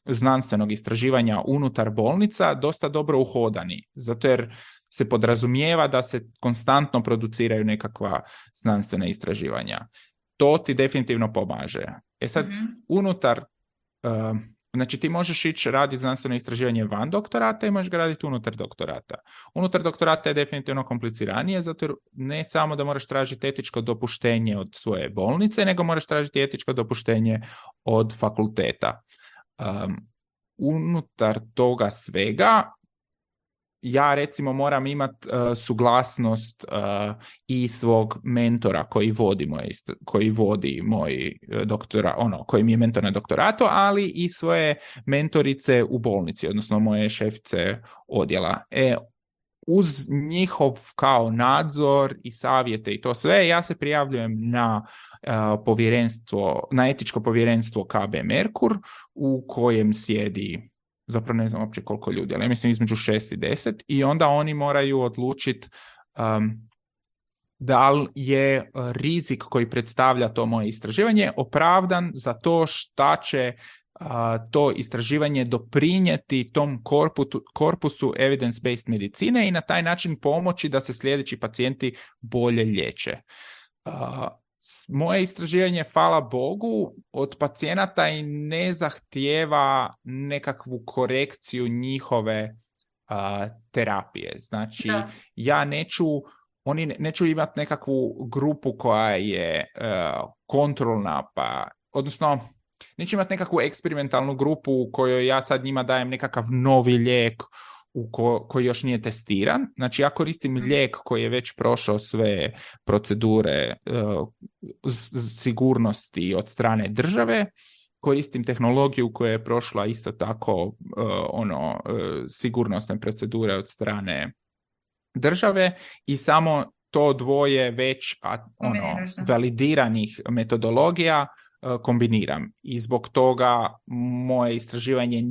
znanstvenog istraživanja unutar bolnica dosta dobro uhodani. Zato jer se podrazumijeva da se konstantno produciraju nekakva znanstvena istraživanja. To ti definitivno pomaže. Sad, unutar znači ti možeš ići raditi znanstveno istraživanje van doktorata i možeš ga raditi unutar doktorata. Unutar doktorata je definitivno kompliciranije, zato jer ne samo da moraš tražiti etičko dopuštenje od svoje bolnice, nego moraš tražiti etičko dopuštenje od fakulteta. Unutar toga svega ja recimo moram imati suglasnost i svog mentora koji vodi moj doktora, koji mi je mentor na doktoratu, ali i svoje mentorice u bolnici, odnosno moje šefice odjela. Uz njihov kao nadzor i savjete i to sve, ja se prijavljujem na etičko povjerenstvo KB Merkur u kojem sjedi, zapravo ne znam uopće koliko ljudi, ali ja mislim između 6 i 10 i onda oni moraju odlučiti da li je rizik koji predstavlja to moje istraživanje opravdan za to šta će to istraživanje doprinijeti tom korpusu evidence-based medicine i na taj način pomoći da se sljedeći pacijenti bolje liječe. moje istraživanje, hvala Bogu, od pacijenata i ne zahtijeva nekakvu korekciju njihove terapije. Znači, Da. ja oni neću imati nekakvu grupu koja je kontrolna, odnosno neću imati nekakvu eksperimentalnu grupu u kojoj ja sad njima dajem nekakav novi lijek koji još nije testiran. Znači, ja koristim lijek koji je već prošao sve procedure sigurnosti od strane države, koristim tehnologiju koja je prošla isto tako sigurnosne procedure od strane države i samo to dvoje već validiranih metodologija kombiniram. I zbog toga moje istraživanje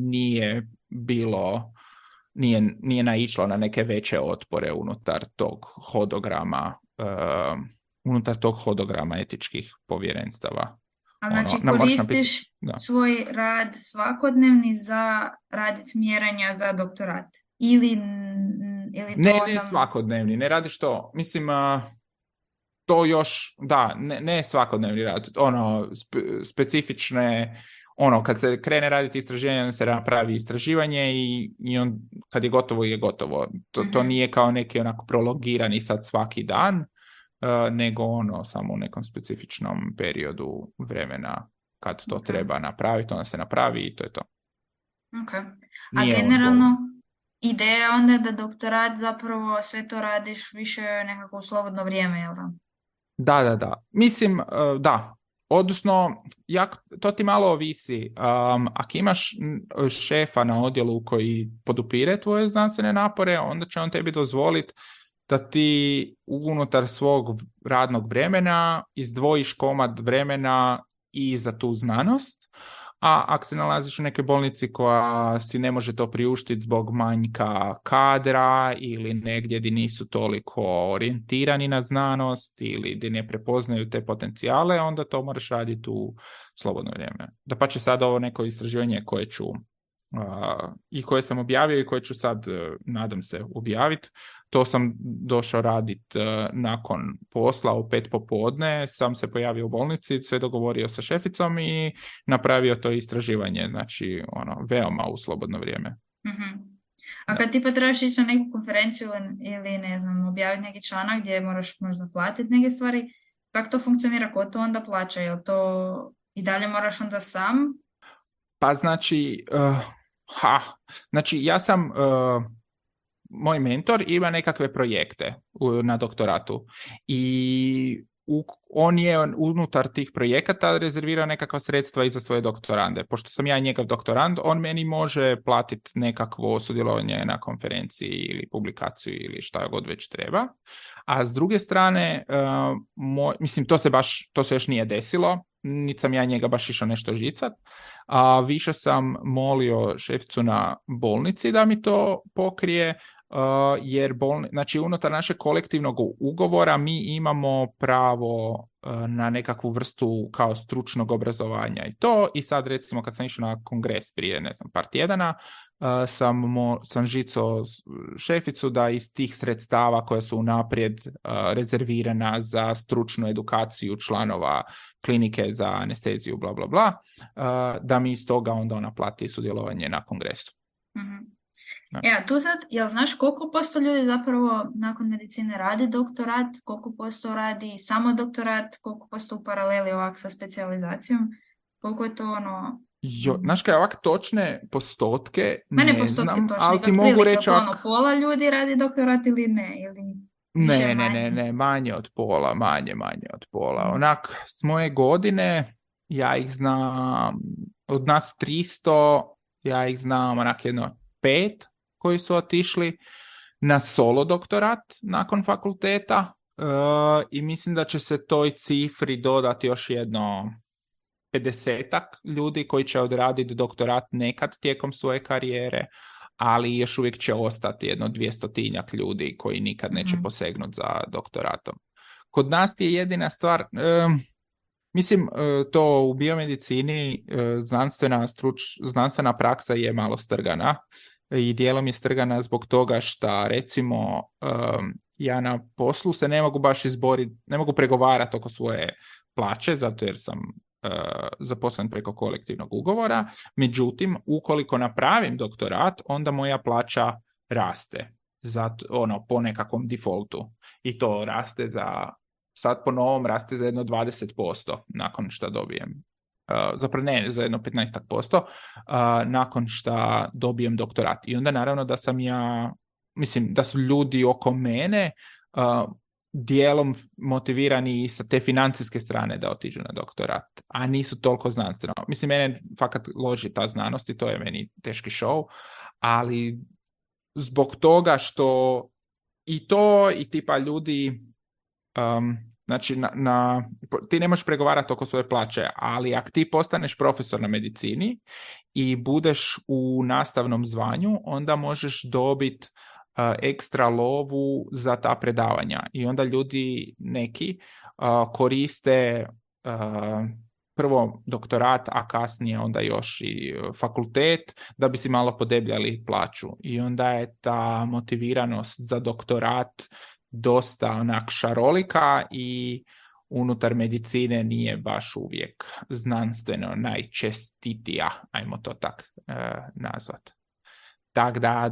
nije naišlo na neke veće otpore unutar tog hodograma etičkih povjerenstava. A znači koristiš svoj rad svakodnevni za raditi mjerenja za doktorat? Ili ne svakodnevni, ne radiš to. Mislim, to još, ne svakodnevni rad. Specifične, kad se krene raditi istraživanje, se napravi istraživanje i on, kad je gotovo, je gotovo. To nije kao neki onako prolongirani sad svaki dan, nego samo u nekom specifičnom periodu vremena kad to treba napraviti, onda se napravi i to je to. Okay. A generalno, ideja onda je da doktorat zapravo sve to radiš više nekako u slobodno vrijeme, jel da? Da. Mislim, da. Odnosno, to ti malo ovisi. Ako imaš šefa na odjelu koji podupire tvoje znanstvene napore, onda će on tebi dozvoliti da ti unutar svog radnog vremena izdvojiš komad vremena i za tu znanost, a ako se nalaziš u nekoj bolnici koja si ne može to priuštiti zbog manjka kadra ili negdje gdje nisu toliko orijentirani na znanost ili gdje ne prepoznaju te potencijale, onda to moraš raditi u slobodno vrijeme. Dapače, sad ovo neko istraživanje koje ću i koje sam objavio i koje ću sad, nadam se, objaviti. To sam došao raditi nakon posla u 5 popodne, sam se pojavio u bolnici, sve dogovorio sa šeficom i napravio to istraživanje, znači veoma u slobodno vrijeme. Mm-hmm. A kad ti pa trebaš ići na neku konferenciju ili ne znam, objaviti neki članak gdje moraš možda platiti neke stvari, kako to funkcionira, ko to onda plaća? Jel to i dalje moraš onda sam? Pa znači, ja sam, moj mentor ima nekakve projekte na doktoratu i on je unutar tih projekata rezervirao nekakva sredstva i za svoje doktorande. Pošto sam ja njegov doktorand, on meni može platiti nekakvo sudjelovanje na konferenciji ili publikaciju ili šta god već treba. A s druge strane, mislim, to se još nije desilo, niti sam ja njega baš išao nešto žicat, a više sam molio šeficu na bolnici da mi to pokrije, jer znači unutar našeg kolektivnog ugovora mi imamo pravo na nekakvu vrstu kao stručnog obrazovanja i sad recimo kad sam išao na kongres prije par tjedana, sam žicao šeficu da iz tih sredstava koja su unaprijed rezervirana za stručnu edukaciju članova klinike za anesteziju bla bla bla, da mi iz toga onda ona plati sudjelovanje na kongresu. Mm-hmm. Ja, tu sad, jel znaš koliko posto ljudi zapravo nakon medicine radi doktorat, koliko posto radi samo doktorat, koliko posto u paraleli ovak sa specijalizacijom, koliko je to znaš kaj, ovak točne postotke ne postotke znam, točne, ali ti mogu reći to pola ljudi radi doktorat ili ne, ne, manje od pola, manje od pola. Onak, s moje godine, ja ih znam, od nas 300, ja ih znam onak 5 koji su otišli na solo doktorat nakon fakulteta i mislim da će se toj cifri dodati još jedno 50-ak ljudi koji će odraditi doktorat nekad tijekom svoje karijere, ali još uvijek će ostati jedno 200-tinjak ljudi koji nikad neće posegnuti za doktoratom. Kod nas je jedina stvar, mislim, to u biomedicini znanstvena praksa je malo strgana i dijelom je strgana zbog toga što recimo ja na poslu se ne mogu baš izboriti, ne mogu pregovarati oko svoje plaće, zato jer sam zaposlen preko kolektivnog ugovora. Međutim, ukoliko napravim doktorat, onda moja plaća raste. Zato, po nekakvom defaultu. I to raste sad po novom raste za jedno 20% nakon što dobijem. Zapravo ne, za jedno 15% nakon što dobijem doktorat. I onda naravno da sam mislim da su ljudi oko mene dijelom motivirani i sa te financijske strane da otiđu na doktorat, a nisu toliko znanstveno. Mislim, mene fakat loži ta znanost i to je meni teški show, ali zbog toga što i to i tipa ljudi znači ti ne možeš pregovarati oko svoje plaće, ali ako ti postaneš profesor na medicini i budeš u nastavnom zvanju, onda možeš dobiti ekstra lovu za ta predavanja. I onda ljudi neki koriste prvo doktorat, a kasnije onda još i fakultet, da bi si malo podebljali plaću. I onda je ta motiviranost za doktorat dosta onak šarolika i unutar medicine nije baš uvijek znanstveno najčestitija, ajmo to tak nazvat. Tako da,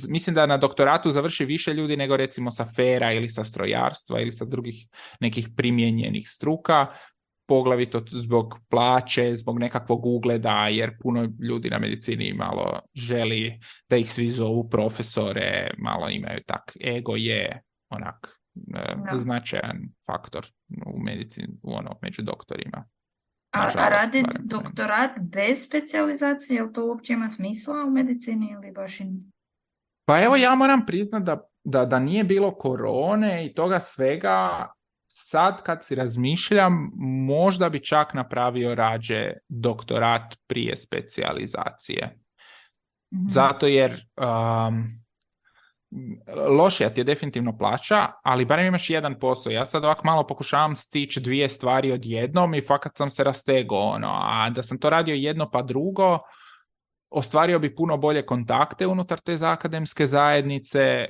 mislim da na doktoratu završi više ljudi nego recimo sa FER-a ili sa strojarstva ili sa drugih nekih primijenjenih struka, poglavito zbog plaće, zbog nekakvog ugleda, jer puno ljudi na medicini malo želi da ih svi zovu profesore, malo imaju tak, ego je onak značajan faktor u medicini, među doktorima. A raditi doktorat bez specijalizacije, je li to uopće ima smisla u medicini ili baš i... Pa evo, ja moram priznati da nije bilo korone i toga svega, sad kad si razmišljam, možda bi čak napravio rađe doktorat prije specijalizacije. Mm-hmm. Zato jer lošija ti je definitivno plaća, ali barem imaš jedan posao. Ja sad ovako malo pokušavam stići dvije stvari odjednom i fakat sam se rastegao, a da sam to radio jedno pa drugo, ostvario bi puno bolje kontakte unutar te akademske zajednice,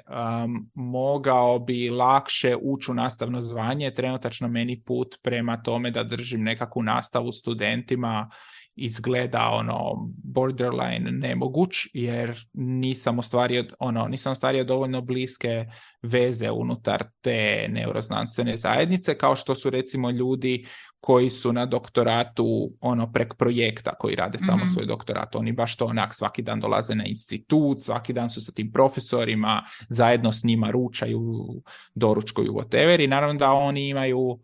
mogao bi lakše ući u nastavno zvanje. Trenutačno meni put prema tome da držim nekakvu nastavu studentima izgleda borderline nemoguć, jer nisam ostvario dovoljno bliske veze unutar te neuroznanstvene zajednice, kao što su recimo ljudi koji su na doktoratu prek projekta, koji rade samo svoj doktorat. Oni baš to svaki dan dolaze na institut, svaki dan su sa tim profesorima, zajedno s njima ručaju, doručkuju, whatever, i naravno da oni imaju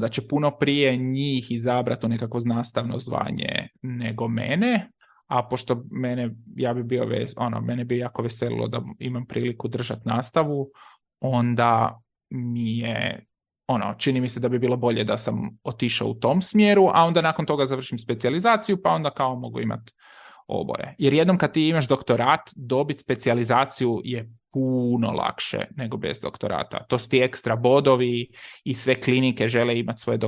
da će puno prije njih izabrati nekako nastavno zvanje nego mene, a pošto mene bi jako veselilo da imam priliku držati nastavu, onda mi je čini mi se da bi bilo bolje da sam otišao u tom smjeru, a onda nakon toga završim specijalizaciju, pa onda kao mogu imati oboje. Jer jednom kad ti imaš doktorat, dobiti specijalizaciju je puno lakše nego bez doktorata. To su ti ekstra bodovi i sve klinike žele imati svoje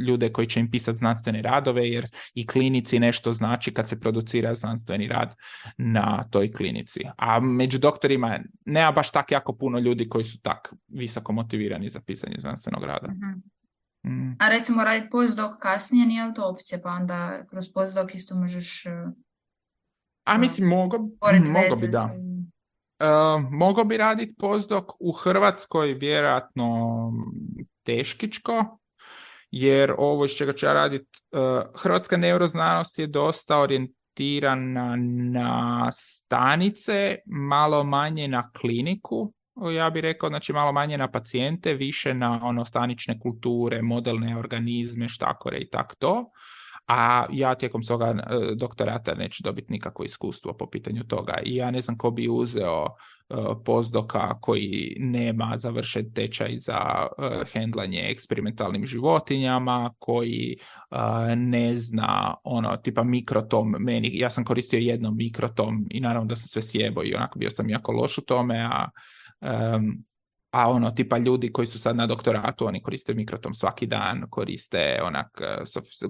ljude koji će im pisati znanstvene radove, jer i klinici nešto znači kad se producira znanstveni rad na toj klinici. A među doktorima nema baš tak jako puno ljudi koji su tak visoko motivirani za pisanje znanstvenog rada. Mm. A recimo raditi postdoc kasnije nije li to opcija, pa onda kroz postdoc isto možeš... mislim, mogo bi da. Mogao bi raditi postdoc u Hrvatskoj, vjerojatno teškičko, jer ovo iz čega ću ja raditi, hrvatska neuroznanost je dosta orijentirana na stanice, malo manje na kliniku, ja bih rekao, znači malo manje na pacijente, više na stanične kulture, modelne organizme, štakore i tako to. A ja tijekom svoga doktorata neću dobiti nikakvo iskustvo po pitanju toga. I ja ne znam ko bi uzeo postdoka koji nema završen tečaj za hendlanje eksperimentalnim životinjama, koji ne zna tipa mikrotom. Ja sam koristio jednom mikrotom i naravno da sam sve sjebao i onako bio sam jako loš u tome, a ono, tipa ljudi koji su sad na doktoratu, oni koriste mikrotom svaki dan, koriste onak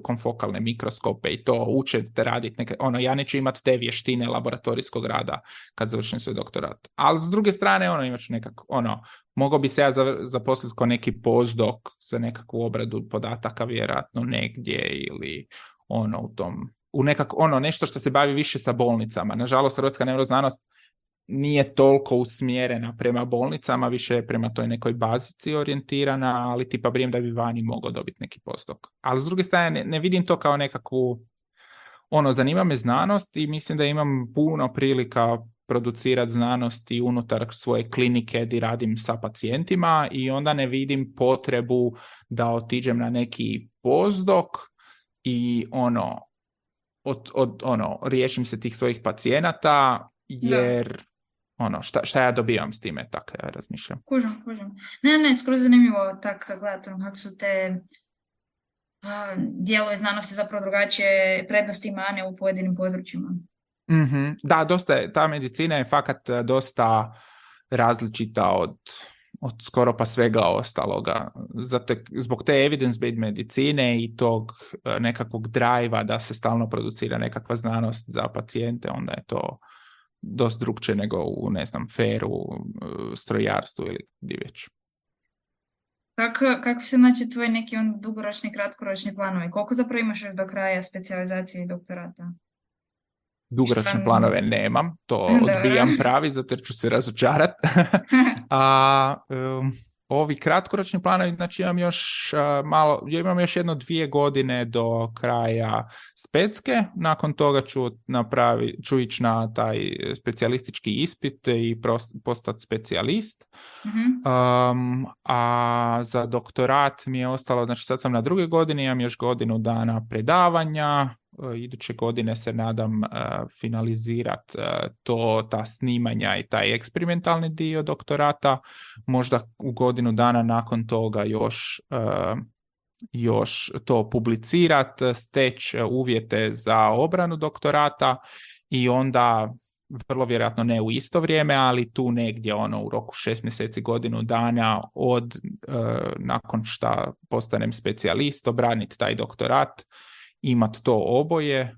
konfokalne mikroskope i to uče te raditi neke, ono, ja neću imati te vještine laboratorijskog rada kad završim svoj doktorat. Ali s druge strane, ono, imat ću nekako, ono, mogao bi se ja zaposliti kao neki postdoc za nekakvu obradu podataka, vjerojatno negdje ili ono u tom, u nekako, ono, nešto što se bavi više sa bolnicama. Nažalost, hrvatska neuroznanost nije toliko usmjerena prema bolnicama, više je prema toj nekoj bazici orijentirana, ali tipa brijem da bi vani mogao dobiti neki postdoc. Ali s druge strane, ne vidim to kao nekakvu, ono, zanima me znanost i mislim da imam puno prilika producirati znanosti unutar svoje klinike gdje radim sa pacijentima i onda ne vidim potrebu da otiđem na neki postdoc i riješim se tih svojih pacijenata, jer ono, šta ja dobivam s time, tako ja razmišljam. Kužim. Ne, skoro zanimljivo tako gledati kako su te dijelove znanosti zapravo drugačije prednosti i mane u pojedinim područjima. Mm-hmm. Da, dosta je, ta medicina je fakat dosta različita od skoro pa svega ostaloga. Zbog te evidence-based medicine i tog nekakvog drajva da se stalno producira nekakva znanost za pacijente, onda je to dosta drugčije nego u, ne znam, feru, strojarstvu ili gdje već. Kako se znači tvoji neki dugoročni, kratkoročni planovi? Koliko zapravo imaš još do kraja specijalizacije i doktorata? Dugoročne planove nemam, to odbijam pravi, zato jer ću se razočarati. Ovi kratkoročni planovi, znači imam još imam još 2 godine do kraja specke, nakon toga ću ići na taj specijalistički ispit i postati specijalist. Mm-hmm. A za doktorat mi je ostalo, znači sad sam na 2. godini, imam još godinu dana predavanja, iduće godine se nadam finalizirati ta snimanja i taj eksperimentalni dio doktorata, možda u godinu dana nakon toga još to publicirati, steći uvjete za obranu doktorata i onda vrlo vjerojatno ne u isto vrijeme, ali tu negdje u roku 6 mjeseci, godinu dana nakon što postanem specijalist, obraniti taj doktorat, imati to oboje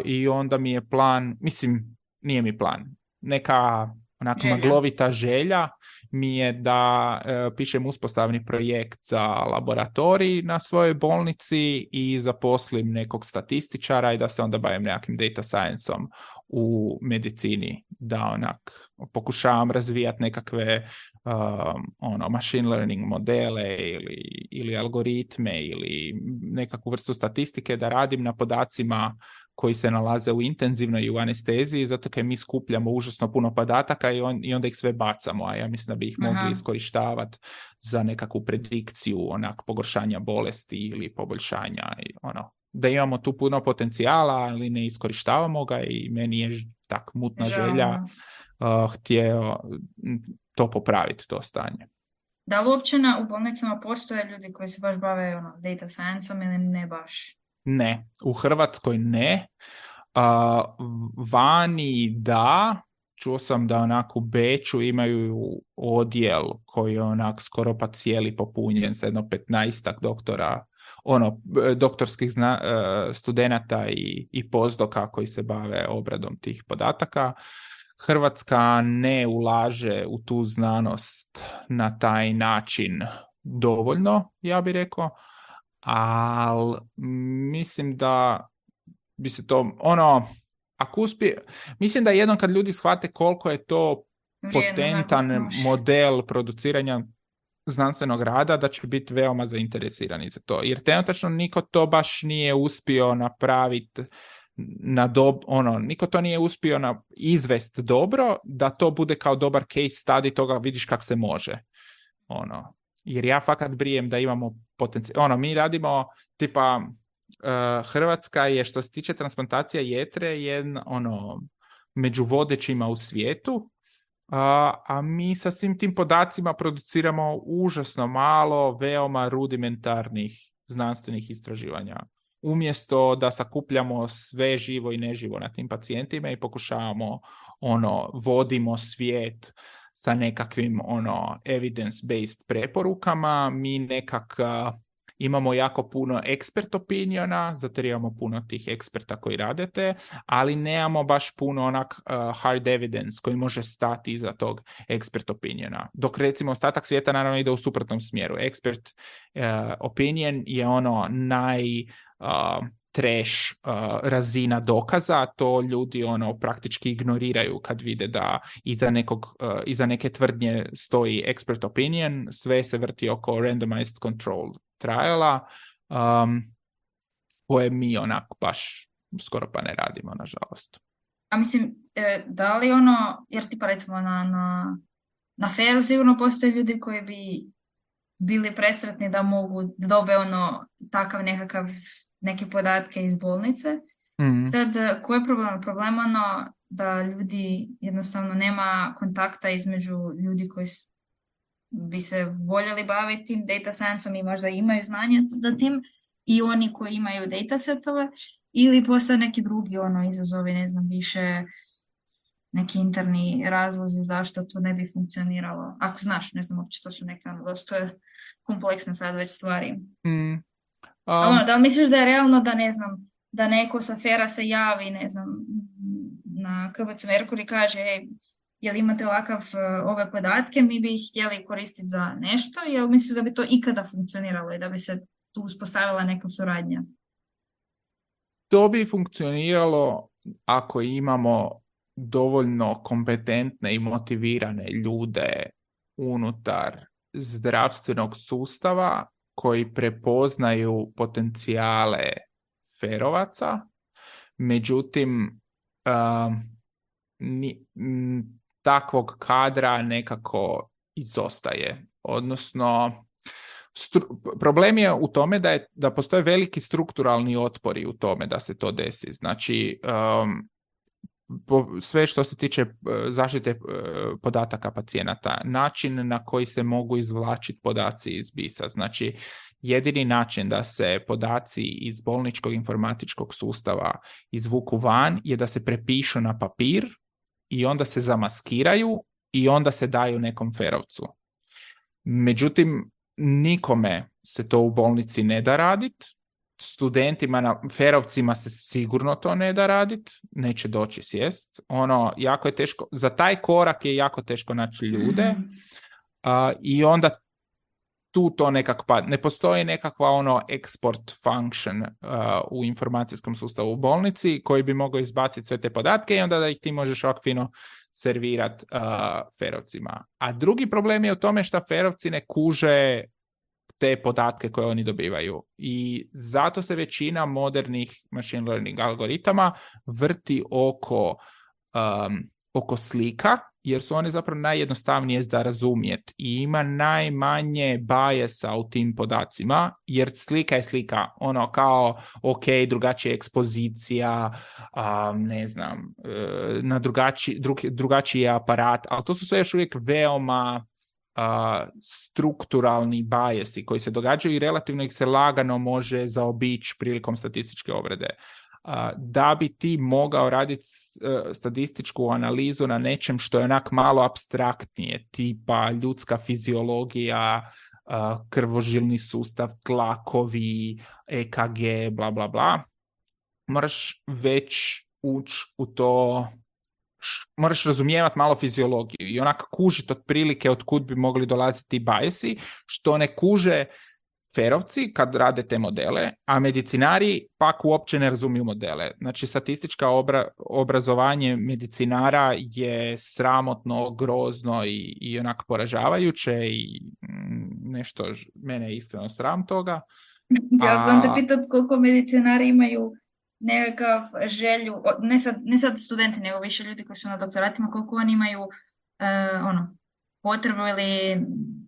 i onda mi je plan, mislim, nije mi plan, neka onako maglovita želja mi je da pišem uspostavni projekt za laboratorij na svojoj bolnici i zaposlim nekog statističara i da se onda bavim nekakvim data science-om u medicini, da onak pokušavam razvijati nekakve machine learning modele ili algoritme ili nekakvu vrstu statistike, da radim na podacima koji se nalaze u intenzivnoj i u anesteziji, zato kad mi skupljamo užasno puno podataka i onda ih sve bacamo, a ja mislim da bi ih mogli iskorištavati za nekakvu predikciju pogoršanja bolesti ili poboljšanja. Da imamo tu puno potencijala, ali ne iskorištavamo ga i meni je tak mutna želja htio to popraviti, to stanje. Da li uopće u bolnicama postoje ljudi koji se baš bave data science-om ili ne baš? Ne, u Hrvatskoj ne. Vani da, čuo sam da u Beču imaju odjel koji je skoro pa cijeli popunjen sa 15 doktora, doktorskih studenata i postdoka koji se bave obradom tih podataka. Hrvatska ne ulaže u tu znanost na taj način dovoljno, ja bih rekao, ali mislim da bi se to, ako uspije, mislim da jednom kad ljudi shvate koliko je to potentan model produciranja znanstvenog rada, da će biti veoma zainteresirani za to. Jer trenutačno niko to baš nije uspio napraviti niko to nije uspio izvest dobro, da to bude kao dobar case study, toga vidiš kak se može. Jer ja fakat brijem da imamo potencijal. Mi radimo, tipa, Hrvatska je, što se tiče transplantacija jetre, među vodećima u svijetu, a mi sa svim tim podacima produciramo užasno malo veoma rudimentarnih znanstvenih istraživanja. Umjesto da sakupljamo sve živo i neživo na tim pacijentima i pokušavamo vodimo svijet sa nekakvim evidence-based preporukama, mi nekak imamo jako puno expert opiniona, zato jer imamo puno tih eksperta koji radite, ali nemamo baš puno hard evidence koji može stati iza tog expert opiniona. Dok recimo ostatak svijeta naravno ide u suprotnom smjeru. Expert opinion je trash razina dokaza, to ljudi praktički ignoriraju kad vide da iza neke tvrdnje stoji expert opinion, sve se vrti oko randomized control triala, koje mi baš skoro pa ne radimo, nažalost. A mislim, da li jer tipa recimo na FAIR-u sigurno postoje ljudi koji bi bili presretni da mogu da dobe takav neke podatke iz bolnice. Sad, koji je problem? Problem da ljudi jednostavno nema kontakta između ljudi koji bi se voljeli baviti tim data science-om i možda imaju znanje za tim i oni koji imaju datasetove, ili postoje neki drugi izazovi, ne znam, više neki interni razlozi zašto to ne bi funkcioniralo. Ako znaš, ne znam, uopće to su neke dosta kompleksne sad već stvari. Da li misliš da je realno da, ne znam, da neko sa FAIR-a se javi, ne znam, na KBC Merkur i kaže, jel imate ove podatke, mi bi ih htjeli koristiti za nešto, jel misliš da bi to ikada funkcioniralo i da bi se tu uspostavila neka suradnja? To bi funkcioniralo ako imamo dovoljno kompetentne i motivirane ljude unutar zdravstvenog sustava koji prepoznaju potencijale ferovaca, međutim takvog kadra nekako izostaje. Odnosno, problem je u tome da postoje veliki strukturalni otpori u tome da se to desi. Znači, sve što se tiče zaštite podataka pacijenata, način na koji se mogu izvlačiti podaci iz BIS-a. Znači, jedini način da se podaci iz bolničkog informatičkog sustava izvuku van je da se prepišu na papir i onda se zamaskiraju i onda se daju nekom ferovcu. Međutim, nikome se to u bolnici ne da raditi. Studentima, ferovcima se sigurno to ne da raditi, neće doći sjest. Jako je teško, za taj korak je jako teško naći ljude i onda tu to nekako ne postoji nekakva export function u informacijskom sustavu u bolnici koji bi mogao izbaciti sve te podatke i onda da ih ti možeš ovak fino servirati ferovcima. A drugi problem je u tome što ferovci ne kuže te podatke koje oni dobivaju. I zato se većina modernih machine learning algoritama vrti oko slika, jer su one zapravo najjednostavnije za razumjeti i ima najmanje biasa u tim podacima, jer slika je slika, kao drugačija ekspozicija, ne znam, na drugačiji aparat, ali to su sve još uvijek veoma strukturalni biasi koji se događaju i relativno ih se lagano može zaobići prilikom statističke obrade. Da bi ti mogao raditi statističku analizu na nečem što je onak malo apstraktnije, tipa ljudska fiziologija, krvožilni sustav, tlakovi, EKG, bla bla bla, moraš već ući u to, moraš razumijevati malo fiziologiju i onak kužiti otprilike od kud bi mogli dolaziti biasi, što ne kuže ferovci kad rade te modele, a medicinari pak uopće ne razumiju modele. Znači, statistička obrazovanje medicinara je sramotno, grozno i onak poražavajuće i nešto, mene je iskreno sram toga. Ja sam te pitat koliko medicinari imaju nekakav želju, ne sad studenti, nego više ljudi koji su na doktoratima, koliko oni imaju potrebu ili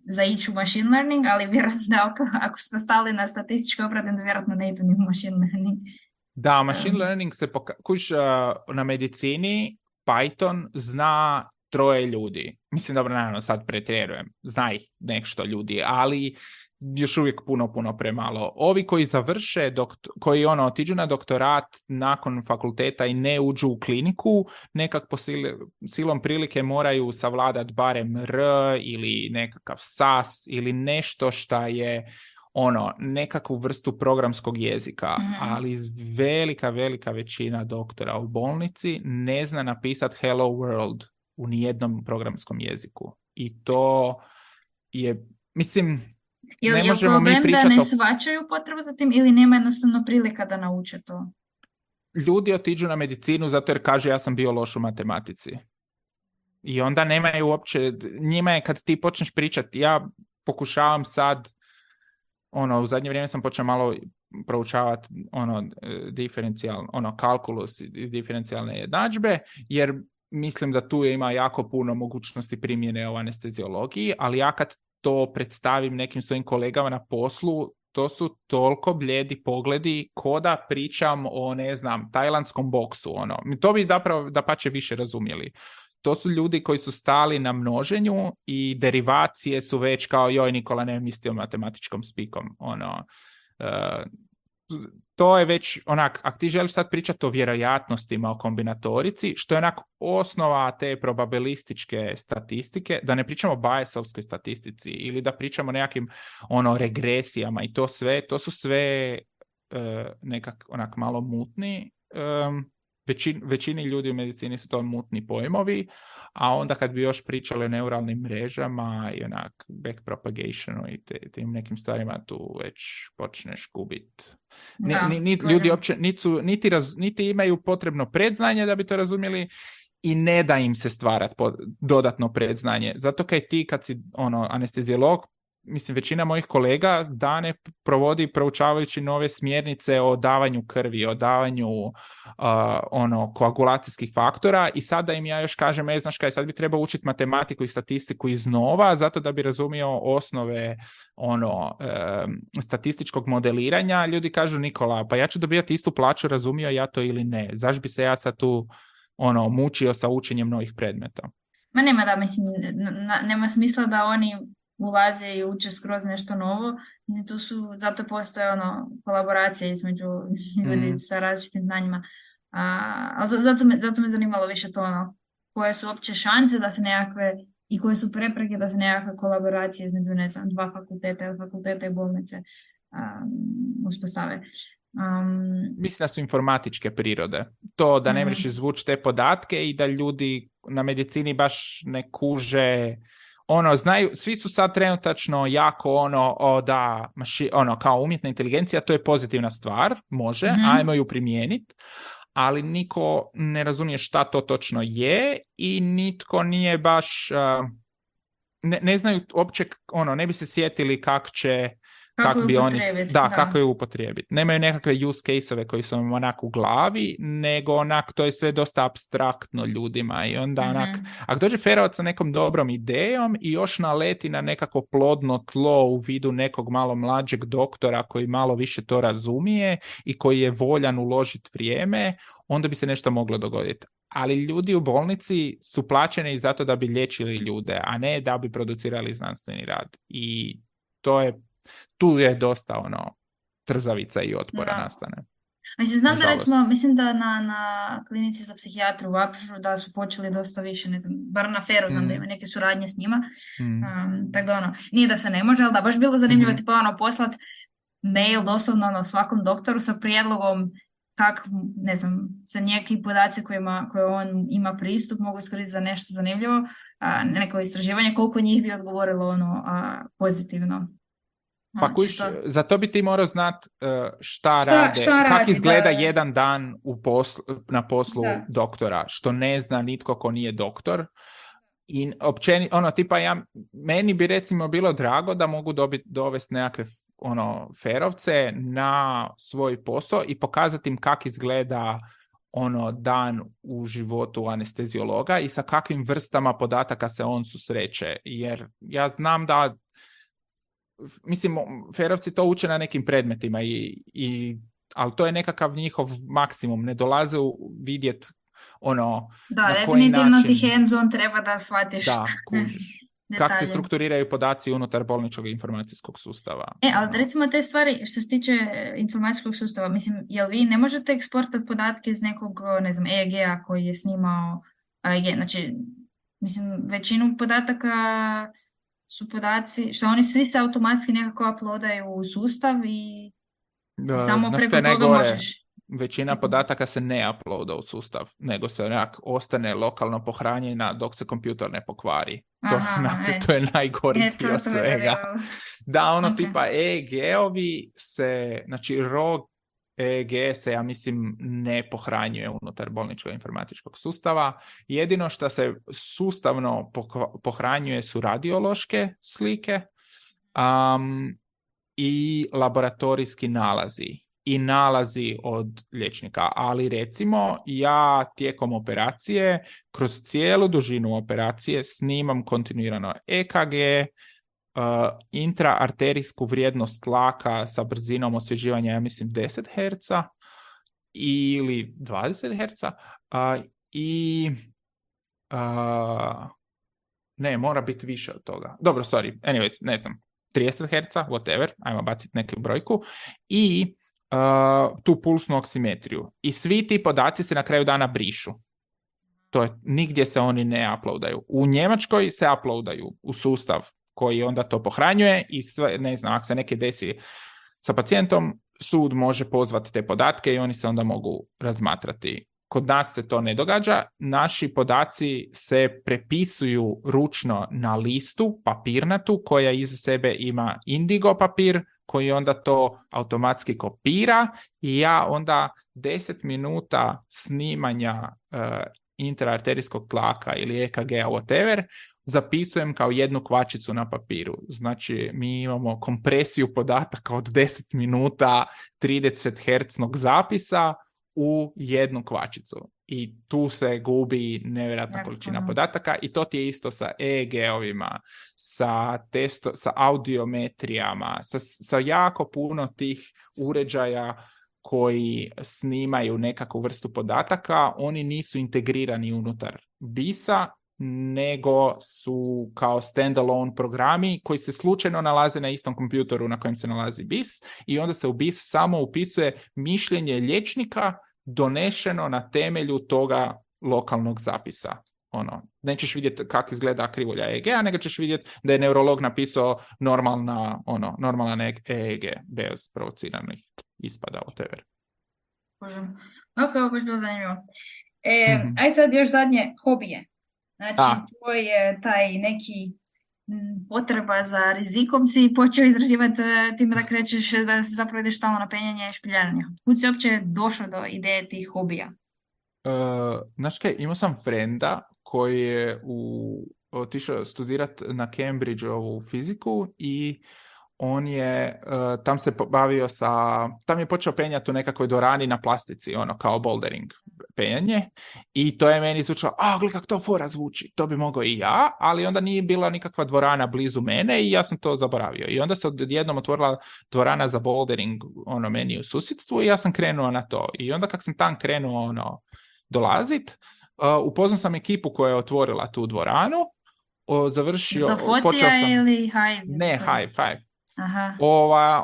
za ići u machine learning, ali vjerojatno da ako smo stali na statističke obrade, vjerojatno ne idu ni u machine learning. Da, machine learning se na medicini Python zna 3 ljudi. Mislim, dobro, naravno, sad pretjerujem, zna ih nešto ljudi, ali još uvijek puno premalo. Ovi koji završe, koji otiđu na doktorat nakon fakulteta i ne uđu u kliniku, nekak po silom prilike moraju savladati barem R ili nekakav SAS ili nešto šta je nekakvu vrstu programskog jezika, ali velika većina doktora u bolnici ne zna napisati Hello World u nijednom programskom jeziku. I to je, mislim, ne možemo mi pričati da ne shvaćaju potrebu za tim ili nema jednostavno prilika da nauče to? Ljudi otiđu na medicinu zato jer kaže ja sam bio loš u matematici. I onda nemaju uopće, njima je kad ti počneš pričati, ja pokušavam sad, u zadnje vrijeme sam počeo malo proučavati kalkulus i diferencijalne jednadžbe, jer mislim da tu ima jako puno mogućnosti primjene u anesteziologiji, ali ja kad to predstavim nekim svojim kolegama na poslu, to su toliko bljedi pogledi ko da pričam o, ne znam, tajlandskom boksu. To bi dapače više razumjeli. To su ljudi koji su stali na množenju i derivacije su već kao joj Nikola ne misli o matematičkom spikom. To je već ako ti želiš sad pričati o vjerojatnostima, o kombinatorici, što je osnova te probabilističke statistike, da ne pričamo o Bayesovskoj statistici ili da pričamo o nekakvim regresijama i to su sve nekak malo mutni. Većini ljudi u medicini su to mutni pojmovi, a onda kad bi još pričali o neuralnim mrežama i backpropagationu i tim nekim stvarima, tu već počneš gubiti. Ljudi uopće niti imaju potrebno predznanje da bi to razumjeli i ne da im se stvarati dodatno predznanje. Zato kad si anesteziolog, mislim, većina mojih kolega dane provodi proučavajući nove smjernice o davanju krvi, o davanju koagulacijskih faktora i sada im ja još kažem, znaš kaj, sad bi trebao učiti matematiku i statistiku iznova, zato da bi razumio osnove statističkog modeliranja. Ljudi kažu, Nikola, pa ja ću dobijati istu plaću, razumio ja to ili ne? Zašto bi se ja sad tu mučio sa učenjem novih predmeta? Ma nema mislim, nema smisla da oni ulaze i uče skroz nešto novo. Tu su, zato postoje kolaboracija između ljudi sa različitim znanjima. Ali zato me zanimalo više to koje su opće šanse da se nekakve i koje su prepreke da se nekakve kolaboracije između, ne znam, dva fakulteta i bolnice uspostave. Mislim da su informatičke prirode. To da ne možeš izvući te podatke i da ljudi na medicini baš ne kuže znaju, svi su sad trenutačno jako kao umjetna inteligencija, to je pozitivna stvar, može, ajmo ju primijeniti, ali niko ne razumije šta to točno je i nitko nije baš, ne znaju uopće, ne bi se sjetili kako je upotrijebiti. Nemaju nekakve use case-ove koji su im u glavi, nego to je sve dosta apstraktno ljudima i onda ako dođe Ferovac sa nekom dobrom idejom i još naleti na nekako plodno tlo u vidu nekog malo mlađeg doktora koji malo više to razumije i koji je voljan uložiti vrijeme, onda bi se nešto moglo dogoditi. Ali ljudi u bolnici su plaćeni zato da bi liječili ljude, a ne da bi producirali znanstveni rad. I tu je dosta trzavica i otpora nastane. Znam da mislim da na klinici za psihijatru u Apžu da su počeli dosta više, ne znam, bar na Feru znam da ima neke suradnje s njima. Tako da nije da se ne može, ali da baš bilo zanimljivo tipa poslat mail doslovno svakom doktoru sa prijedlogom kako, ne znam, sa neki podaci koje on ima pristup mogu iskoristiti za nešto zanimljivo, neko istraživanje, koliko njih bi odgovorilo pozitivno. Pa za to bi ti morao znati šta rade, kako izgleda jedan dan na poslu doktora, što ne zna nitko ko nije doktor. I meni bi recimo bilo drago da mogu dovesti nekakve ferovce na svoj posao i pokazati im kako izgleda dan u životu anesteziologa i sa kakvim vrstama podataka se on susreće. Jer ja znam da mislim, ferovci to uče na nekim predmetima, ali to je nekakav njihov maksimum. Ne dolaze vidjeti da, definitivno način... ti hands-on treba da shvatiš. Da, kužiš. kako se detalje. strukturiraju podaci unutar bolničkog informacijskog sustava. Ali recimo te stvari što se tiče informacijskog sustava, mislim, jel vi ne možete eksportati podatke iz nekog, ne znam, EEG-a koji je snimao EEG, znači, mislim, većinu podataka su podaci, što oni svi se automatski nekako uploadaju u sustav i samo Znaš preko što je toga najgore? možeš. Većina podataka se ne uploada u sustav, nego se onak ostane lokalno pohranjena dok se kompjuter ne pokvari. To je najgori dio svega. Da, ono tipa EEG-ovi se, znači ROG EEG se, ja mislim, ne pohranjuje unutar bolničkog informatičkog sustava. Jedino što se sustavno pohranjuje su radiološke slike i laboratorijski nalazi. I nalazi od liječnika, ali recimo ja tijekom operacije, kroz cijelu dužinu operacije snimam kontinuirano EKG, intraarterijsku vrijednost tlaka sa brzinom osvježivanja, ja mislim 10 Hz ili 20 Hz i ne, mora biti više od toga. Dobro, sorry, anyways, ne znam, 30 Hz, whatever, ajmo baciti neku brojku i tu pulsnu oksimetriju. I svi ti podaci se na kraju dana brišu. To je, nigdje se oni ne uploadaju. U Njemačkoj se uploadaju u sustav koji onda to pohranjuje i sve, ne znam, ako se neke desi sa pacijentom, sud može pozvati te podatke i oni se onda mogu razmatrati. Kod nas se to ne događa. Naši podaci se prepisuju ručno na listu papirnatu koja iza sebe ima indigo papir koji onda to automatski kopira i ja onda 10 minuta snimanja intraarterijskog tlaka ili EKG-a, whatever, zapisujem kao jednu kvačicu na papiru. Znači, mi imamo kompresiju podataka od 10 minuta 30 Hz zapisa u jednu kvačicu. I tu se gubi nevjerojatna količina podataka i to ti je isto sa EEG-ovima, sa audiometrijama, sa jako puno tih uređaja koji snimaju nekakvu vrstu podataka. Oni nisu integrirani unutar BIS-a, nego su kao standalone programi koji se slučajno nalaze na istom kompjutoru na kojem se nalazi BIS i onda se u BIS samo upisuje mišljenje liječnika donešeno na temelju toga lokalnog zapisa. Nećeš vidjeti kako izgleda krivulja EEG-a, nego ćeš vidjeti da je neurolog napisao normalan EEG bez provociranih ispada, whatever. Ok, ovo je bilo zanimljivo. Aj sad još zadnje, hobije. Znači, tvoj je taj neki potreba za rizikom si počeo izraživati time da krećeš, da se zapravo ideš stalno na penjanje i špiljanje. Kud si uopće došao do ideje tih hobija? Znaš kaj, imao sam frenda koji je otišao studirati na Cambridge-ovu fiziku i on je tam se bavio tam je počeo penjati u nekakvoj dvorani na plastici, kao bouldering penjanje i to je meni zvučalo, gledaj kako to fora zvuči, to bi mogao i ja, ali onda nije bila nikakva dvorana blizu mene i ja sam to zaboravio. I onda se odjednom otvorila dvorana za bouldering meni u susjedstvu i ja sam krenuo na to. I onda kak sam tam krenuo dolazit, upoznao sam ekipu koja je otvorila tu dvoranu, završio... To Fotija ili Hive? Ne, Hive. Aha.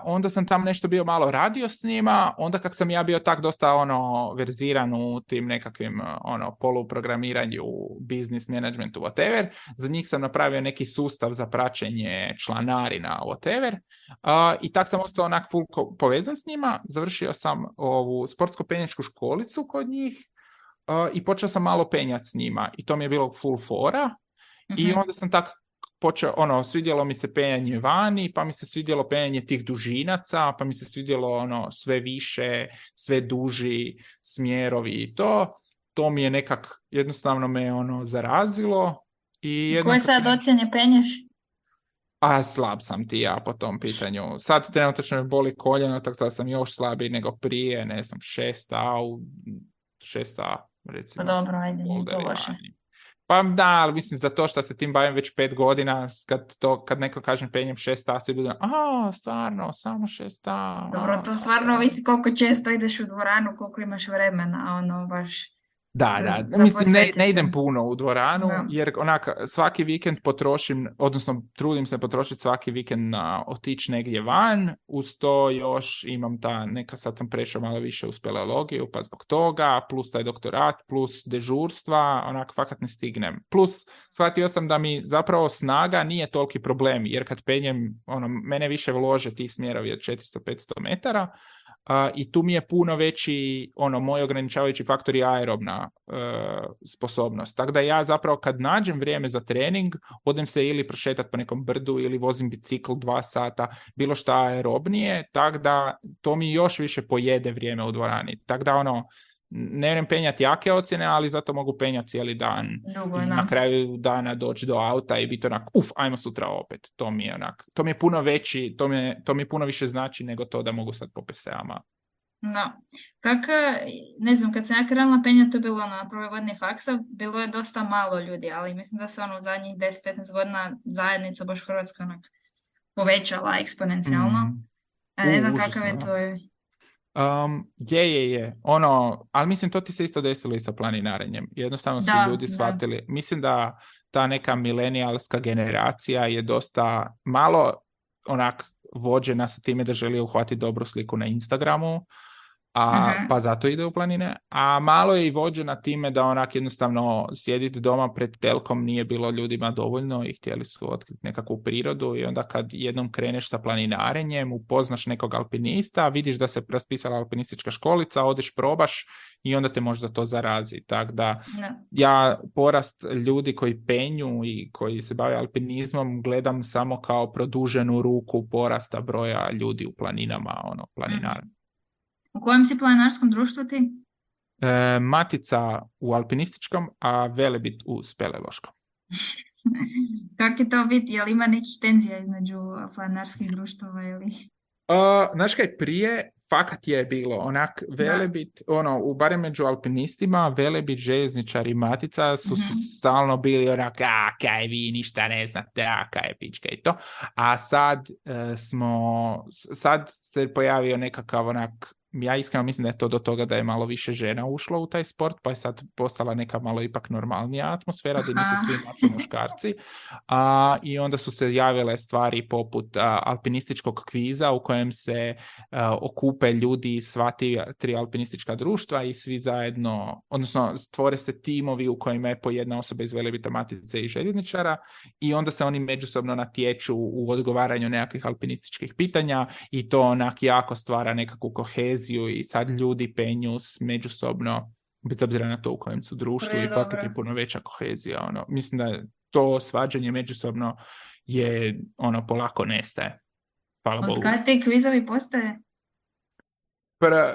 Onda sam tam nešto bio malo radio s njima, onda kak sam ja bio tak dosta verziran u tim nekakvim poluprogramiranju, business managementu, whatever, za njih sam napravio neki sustav za praćenje članarina, whatever, i tak sam ostao onak full povezan s njima, završio sam ovu sportsko-penjačku školicu kod njih i počeo sam malo penjati s njima i to mi je bilo full fora. I onda sam tak počeo, svidjelo mi se penjanje vani, pa mi se svidjelo penjanje tih dužinaca, pa mi se svidjelo sve više, sve duži smjerovi i to mi je nekak, jednostavno me zarazilo. I koje sad ocjene penješ? Slab sam ti ja po tom pitanju. Sad trenutno me boli koljeno, tako da sam još slabiji nego prije, ne znam, 6A, recimo. Pa dobro, ajde, nije to loše. Pa da, ali mislim za to što se tim bavim već 5 godina, kad neko kažem penjem 6A, svi budu, stvarno, samo 6A. Dobro, to stvarno ovisi koliko često ideš u dvoranu, koliko imaš vremena, baš... Da. za Mislim, ne posvetiti se. idem puno u dvoranu, Da. jer onak svaki vikend potrošim, odnosno trudim se potrošiti svaki vikend na otići negdje van. Uz to još imam sad sam prešao malo više u speleologiju, pa zbog toga, plus taj doktorat, plus dežurstva, onak fakat ne stignem. Plus, shvatio sam da mi zapravo snaga nije toliki problem, jer kad penjem, mene više vlože ti smjerovi od 400-500 metara, i tu mi je puno veći moj ograničavajući faktor je aerobna sposobnost. Tako da ja zapravo kad nađem vrijeme za trening, odem se ili prošetati po nekom brdu ili vozim bicikl 2 sata, bilo šta aerobnije, tako da to mi još više pojede vrijeme u dvorani. Tako da ne vjerujem penjati jake ocjene, ali zato mogu penjati cijeli dan. Dugo, I na kraju dana doći do auta i biti ajmo sutra opet. To mi je puno veći, to mi puno više znači nego to da mogu sad po PSA-ama. No. Ne znam, kad sam ja krenula penjati, to je bilo na prvoj godini faksa, bilo je dosta malo ljudi, ali mislim da se u zadnjih 10-15 godina zajednica baš u Hrvatskoj povećala eksponencijalno. Ne znam kakav je to. Je. Ali mislim to ti se isto desilo i sa planinarenjem. Jednostavno su ljudi shvatili. Mislim da ta neka milenijalska generacija je dosta malo vođena sa time da želi uhvatiti dobru sliku na Instagramu, pa zato ide u planine, a malo je i vođena time da jednostavno sjediti doma pred telkom nije bilo ljudima dovoljno i htjeli su otkriti nekakvu prirodu i onda kad jednom kreneš sa planinarenjem, upoznaš nekog alpinista, vidiš da se raspisala alpinistička školica, odeš probaš i onda te možda to zarazi. Tako da ja porast ljudi koji penju i koji se bave alpinizmom gledam samo kao produženu ruku porasta broja ljudi u planinama, planinara. U kojem si planinarskom društvu ti? Matica u alpinističkom, a Velebit u speleološkom. Kako je to biti? Je li ima nekih tenzija između planinarskih društava ili... Znaš kaj, prije fakat je bilo Velebit, barem među alpinistima, Velebit, željezničari, Matica su stalno bili kaj vi ništa ne znate, kaj pička i to. A sad se pojavio nekakav ja iskreno mislim da je to do toga da je malo više žena ušlo u taj sport, pa je sad postala neka malo ipak normalnija atmosfera, da nisu svi naši muškarci. I onda su se javile stvari poput alpinističkog kviza u kojem se okupe ljudi iz sva tri alpinistička društva i svi zajedno, odnosno stvore se timovi u kojima je po jedna osoba iz Velebita, Matice i željezničara i onda se oni međusobno natječu u odgovaranju nekakvih alpinističkih pitanja i to jako stvara nekakvu koheziju i sad ljudi penju međusobno, bez obzira na to u kojem su društvu i fakat je puno veća kohezija. Mislim da to svađanje međusobno je polako nestaje. Hvala Bogu. Od kada te kvizovi postaje?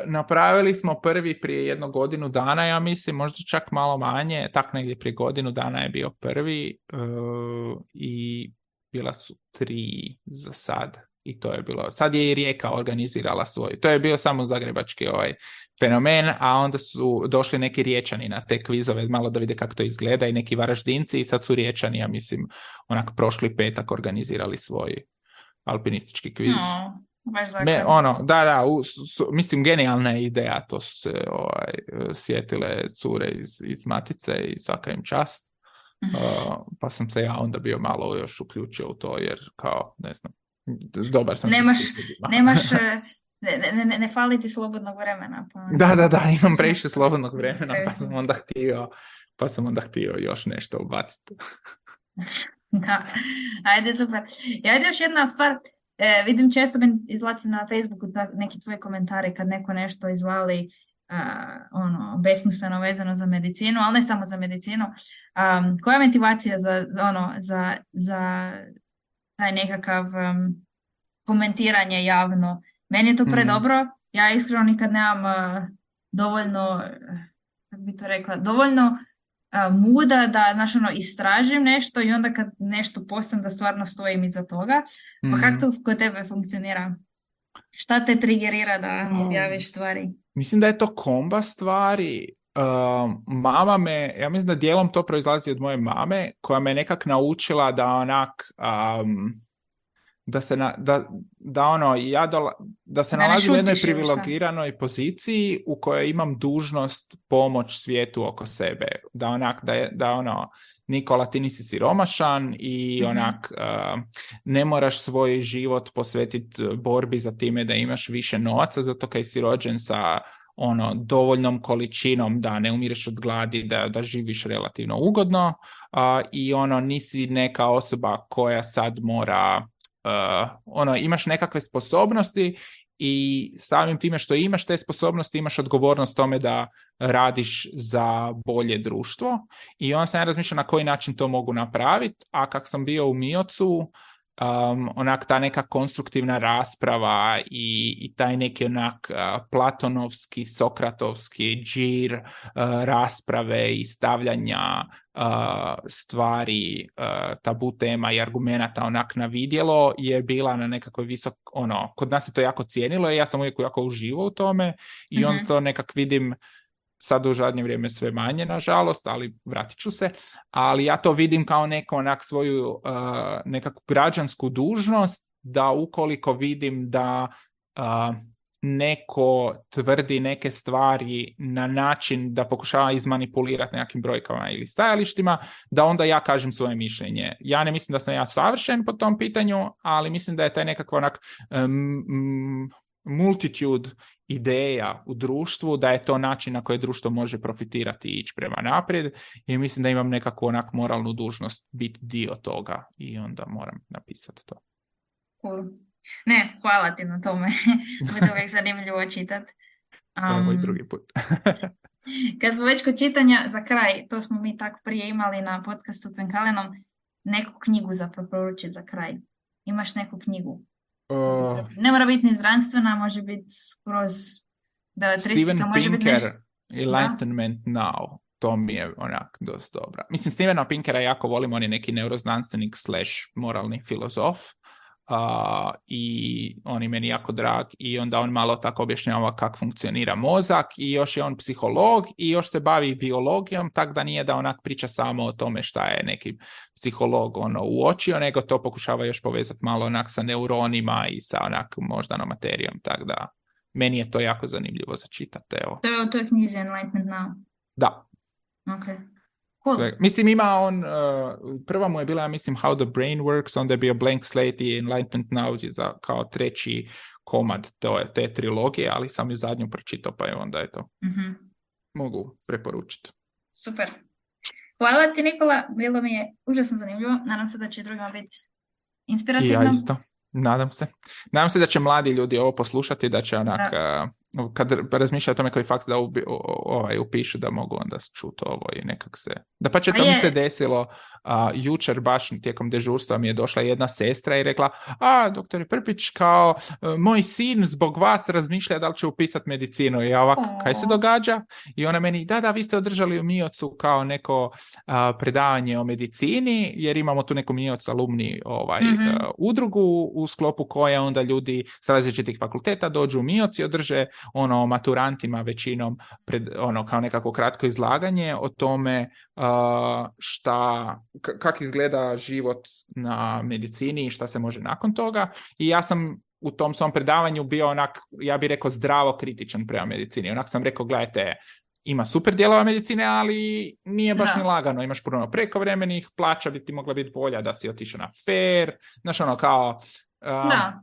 Napravili smo prvi prije 1 godinu dana, ja mislim, možda čak malo manje, tak negdje prije 1 godinu dana je bio prvi i bila su 3 za sad. I to je bilo, sad je i Rijeka organizirala svoj, to je bio samo zagrebački fenomen, a onda su došli neki Riječani na te kvizove, malo da vide kako to izgleda i neki Varaždinci i sad su Riječani, ja mislim, prošli petak organizirali svoj alpinistički kviz. Baš mislim, genijalna je ideja, to su se sjetile cure iz Matice i svaka im čast, pa sam se ja onda bio malo još uključio u to, jer kao, ne znam, dobar sam ne fali ti slobodnog vremena. Pa... Da, imam previše slobodnog vremena, pa sam onda htio još nešto ubaciti. Da, ajde, super. Ajde još jedna stvar, vidim često izlazi na Facebooku neki tvoji komentari kad neko nešto izvali besmisleno vezano za medicinu, ali ne samo za medicinu. Koja je motivacija za taj nekakav komentiranje javno? Meni je to predobro. Ja iskreno nikad nemam dovoljno, kako bi to rekla, dovoljno muda da istražim nešto i onda kad nešto postam da stvarno stojim iza toga. Pa kako to kod tebe funkcionira? Šta te trigerira da objaviš stvari? Mislim da je to komba stvari. Mama me, ja mislim da dijelom to proizlazi od moje mame, koja me nekak naučila da da se Da ne nalazim u jednoj šutiš ili šta? privilegiranoj poziciji u kojoj imam dužnost pomoć svijetu oko sebe. Nikola, ti nisi siromašan i ne moraš svoj život posvetiti borbi za time da imaš više novaca, zato kaj si rođen sa dovoljnom količinom da ne umireš od gladi, da živiš relativno ugodno, i nisi neka osoba koja sad mora imaš nekakve sposobnosti i samim time što imaš te sposobnosti imaš odgovornost tome da radiš za bolje društvo. I onda sam ja razmišljao na koji način to mogu napraviti, a kak sam bio u Miocu, ta neka konstruktivna rasprava i taj neki platonovski, sokratovski džir rasprave i stavljanja stvari, tabu tema i argumenata na vidjelo je bila na nekakvoj visok, kod nas se to jako cijenilo i ja sam uvijek jako uživao u tome i on to nekak vidim sad u zadnje vrijeme sve manje, nažalost, ali vratit ću se. Ali ja to vidim kao svoju nekakvu građansku dužnost, da ukoliko vidim da neko tvrdi neke stvari na način da pokušava izmanipulirati nekakvim brojkama ili stajalištima, da onda ja kažem svoje mišljenje. Ja ne mislim da sam ja savršen po tom pitanju, ali mislim da je taj nekakvo multitude ideja u društvu, da je to način na koji društvo može profitirati i ići prema naprijed, i mislim da imam nekakvu moralnu dužnost biti dio toga i onda moram napisati to. Cool. Ne, hvala ti na tome. Bude uvijek zanimljivo čitati. Evo i drugi put. Kad smo već kod čitanja, za kraj, to smo mi tako prije imali na podcastu Penkalenom, neku knjigu za preporučiti za kraj. Imaš neku knjigu? Ne mora biti ni znanstvena, može biti skroz beletristika, Steven može biti Pinker, nešto. Enlightenment Now, to mi je dosta dobra. Mislim, Stevena Pinkera jako volim, on je neki neuroznanstvenik / moralni filozof, i on je meni jako drag, i onda on malo tako objašnjava kako funkcionira mozak, i još je on psiholog i još se bavi biologijom, tako da nije da priča samo o tome šta je neki psiholog uočio, nego to pokušava još povezati malo sa neuronima i sa moždanom materijom, tako da meni je to jako zanimljivo za čitati. To je u toj knjizi Enlightenment Now? Da. Okay. Cool. Mislim, ima on, prva mu je bila, ja mislim, How the Brain Works, onda je bio Blank Slate i Enlightenment Now za kao treći komad te trilogije, ali sam ju zadnju pročitao, pa je onda je to. Mogu preporučiti. Super. Hvala ti, Nikola, bilo mi je užasno zanimljivo, nadam se da će drugima biti inspirativno. I ja isto, nadam se. Nadam se da će mladi ljudi ovo poslušati, da će kad razmišljaju o tome koji faks da upišu, da mogu onda čuti ovo i nekak se... Da pa će to mi se desilo, jučer baš tijekom dežurstva mi je došla jedna sestra i rekla, doktor Prpić, kao moj sin zbog vas razmišlja da li će upisati medicinu. I ja ovako, kaj se događa? I ona meni, da, vi ste održali u Miocu kao neko predavanje o medicini, jer imamo tu neku Mioc alumni udrugu u sklopu koje onda ljudi s različitih fakulteta dođu u Mioc i održe maturantima većinom kao nekako kratko izlaganje o tome kako izgleda život na medicini i šta se može nakon toga. I ja sam u tom svom predavanju bio ja bih rekao zdravo kritičan prema medicini. Sam rekao, gledajte, ima super dijelova medicine, ali nije baš ni lagano. Imaš puno prekovremenih, plaća bi ti mogla biti bolja da si otišao na fair. Znaš, kao...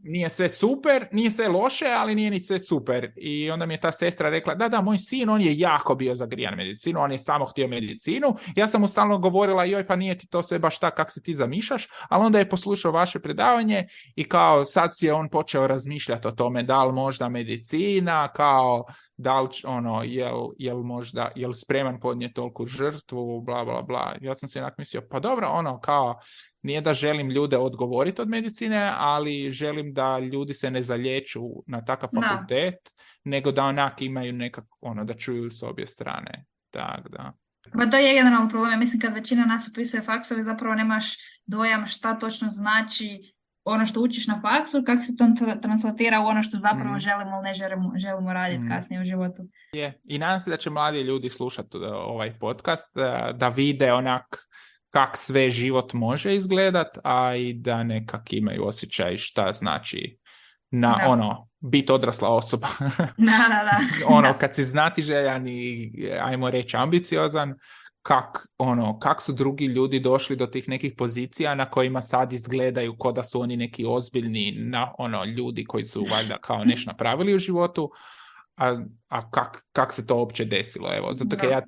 nije sve super, nije sve loše, ali nije ni sve super. I onda mi je ta sestra rekla, da, moj sin, on je jako bio zagrijan medicinu, on je samo htio medicinu. Ja sam mu stalno govorila, joj, pa nije ti to sve baš tak kako se ti zamišljaš, ali onda je poslušao vaše predavanje i kao sad si je on počeo razmišljati o tome da li možda medicina, kao da li jel spreman podnijeti toliku žrtvu, bla, bla, bla. Ja sam se mislio, pa dobro, kao nije da želim ljude odgovoriti od medicine, ali želim da ljudi se ne zalječu na takav fakultet, nego da imaju nekako, da čuju s obje strane. Tak, da. Pa to je generalno problem. Ja mislim kad većina nas upisuje faksove, zapravo nemaš dojam šta točno znači ono što učiš na faksu, kako se to translatira u ono što zapravo želimo ili ne želimo raditi kasnije u životu. I nadam se da će mladi ljudi slušati ovaj podcast, da vide kak sve život može izgledat, a i da nekak imaju osjećaj šta znači biti odrasla osoba. Da. Kad si znatiželjan i, ajmo reći, ambiciozan, kak su drugi ljudi došli do tih nekih pozicija na kojima sad izgledaju ko da su oni neki ozbiljni ljudi koji su valjda kao nešto napravili u životu, a kak se to uopće desilo, evo, zato kad ja,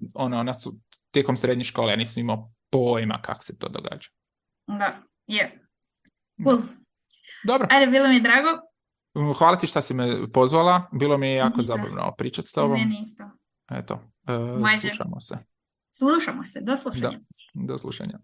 tijekom srednje škole ja nisam imao pojma kak se to događa. Da, je. Cool. Dobro. Ajde, bilo mi je drago. Hvala ti što si me pozvala, bilo mi je jako zabavno pričati s tobom. I meni isto. Eto, slušamo se. Slušamo se, do slušanja. Da, do slušanja.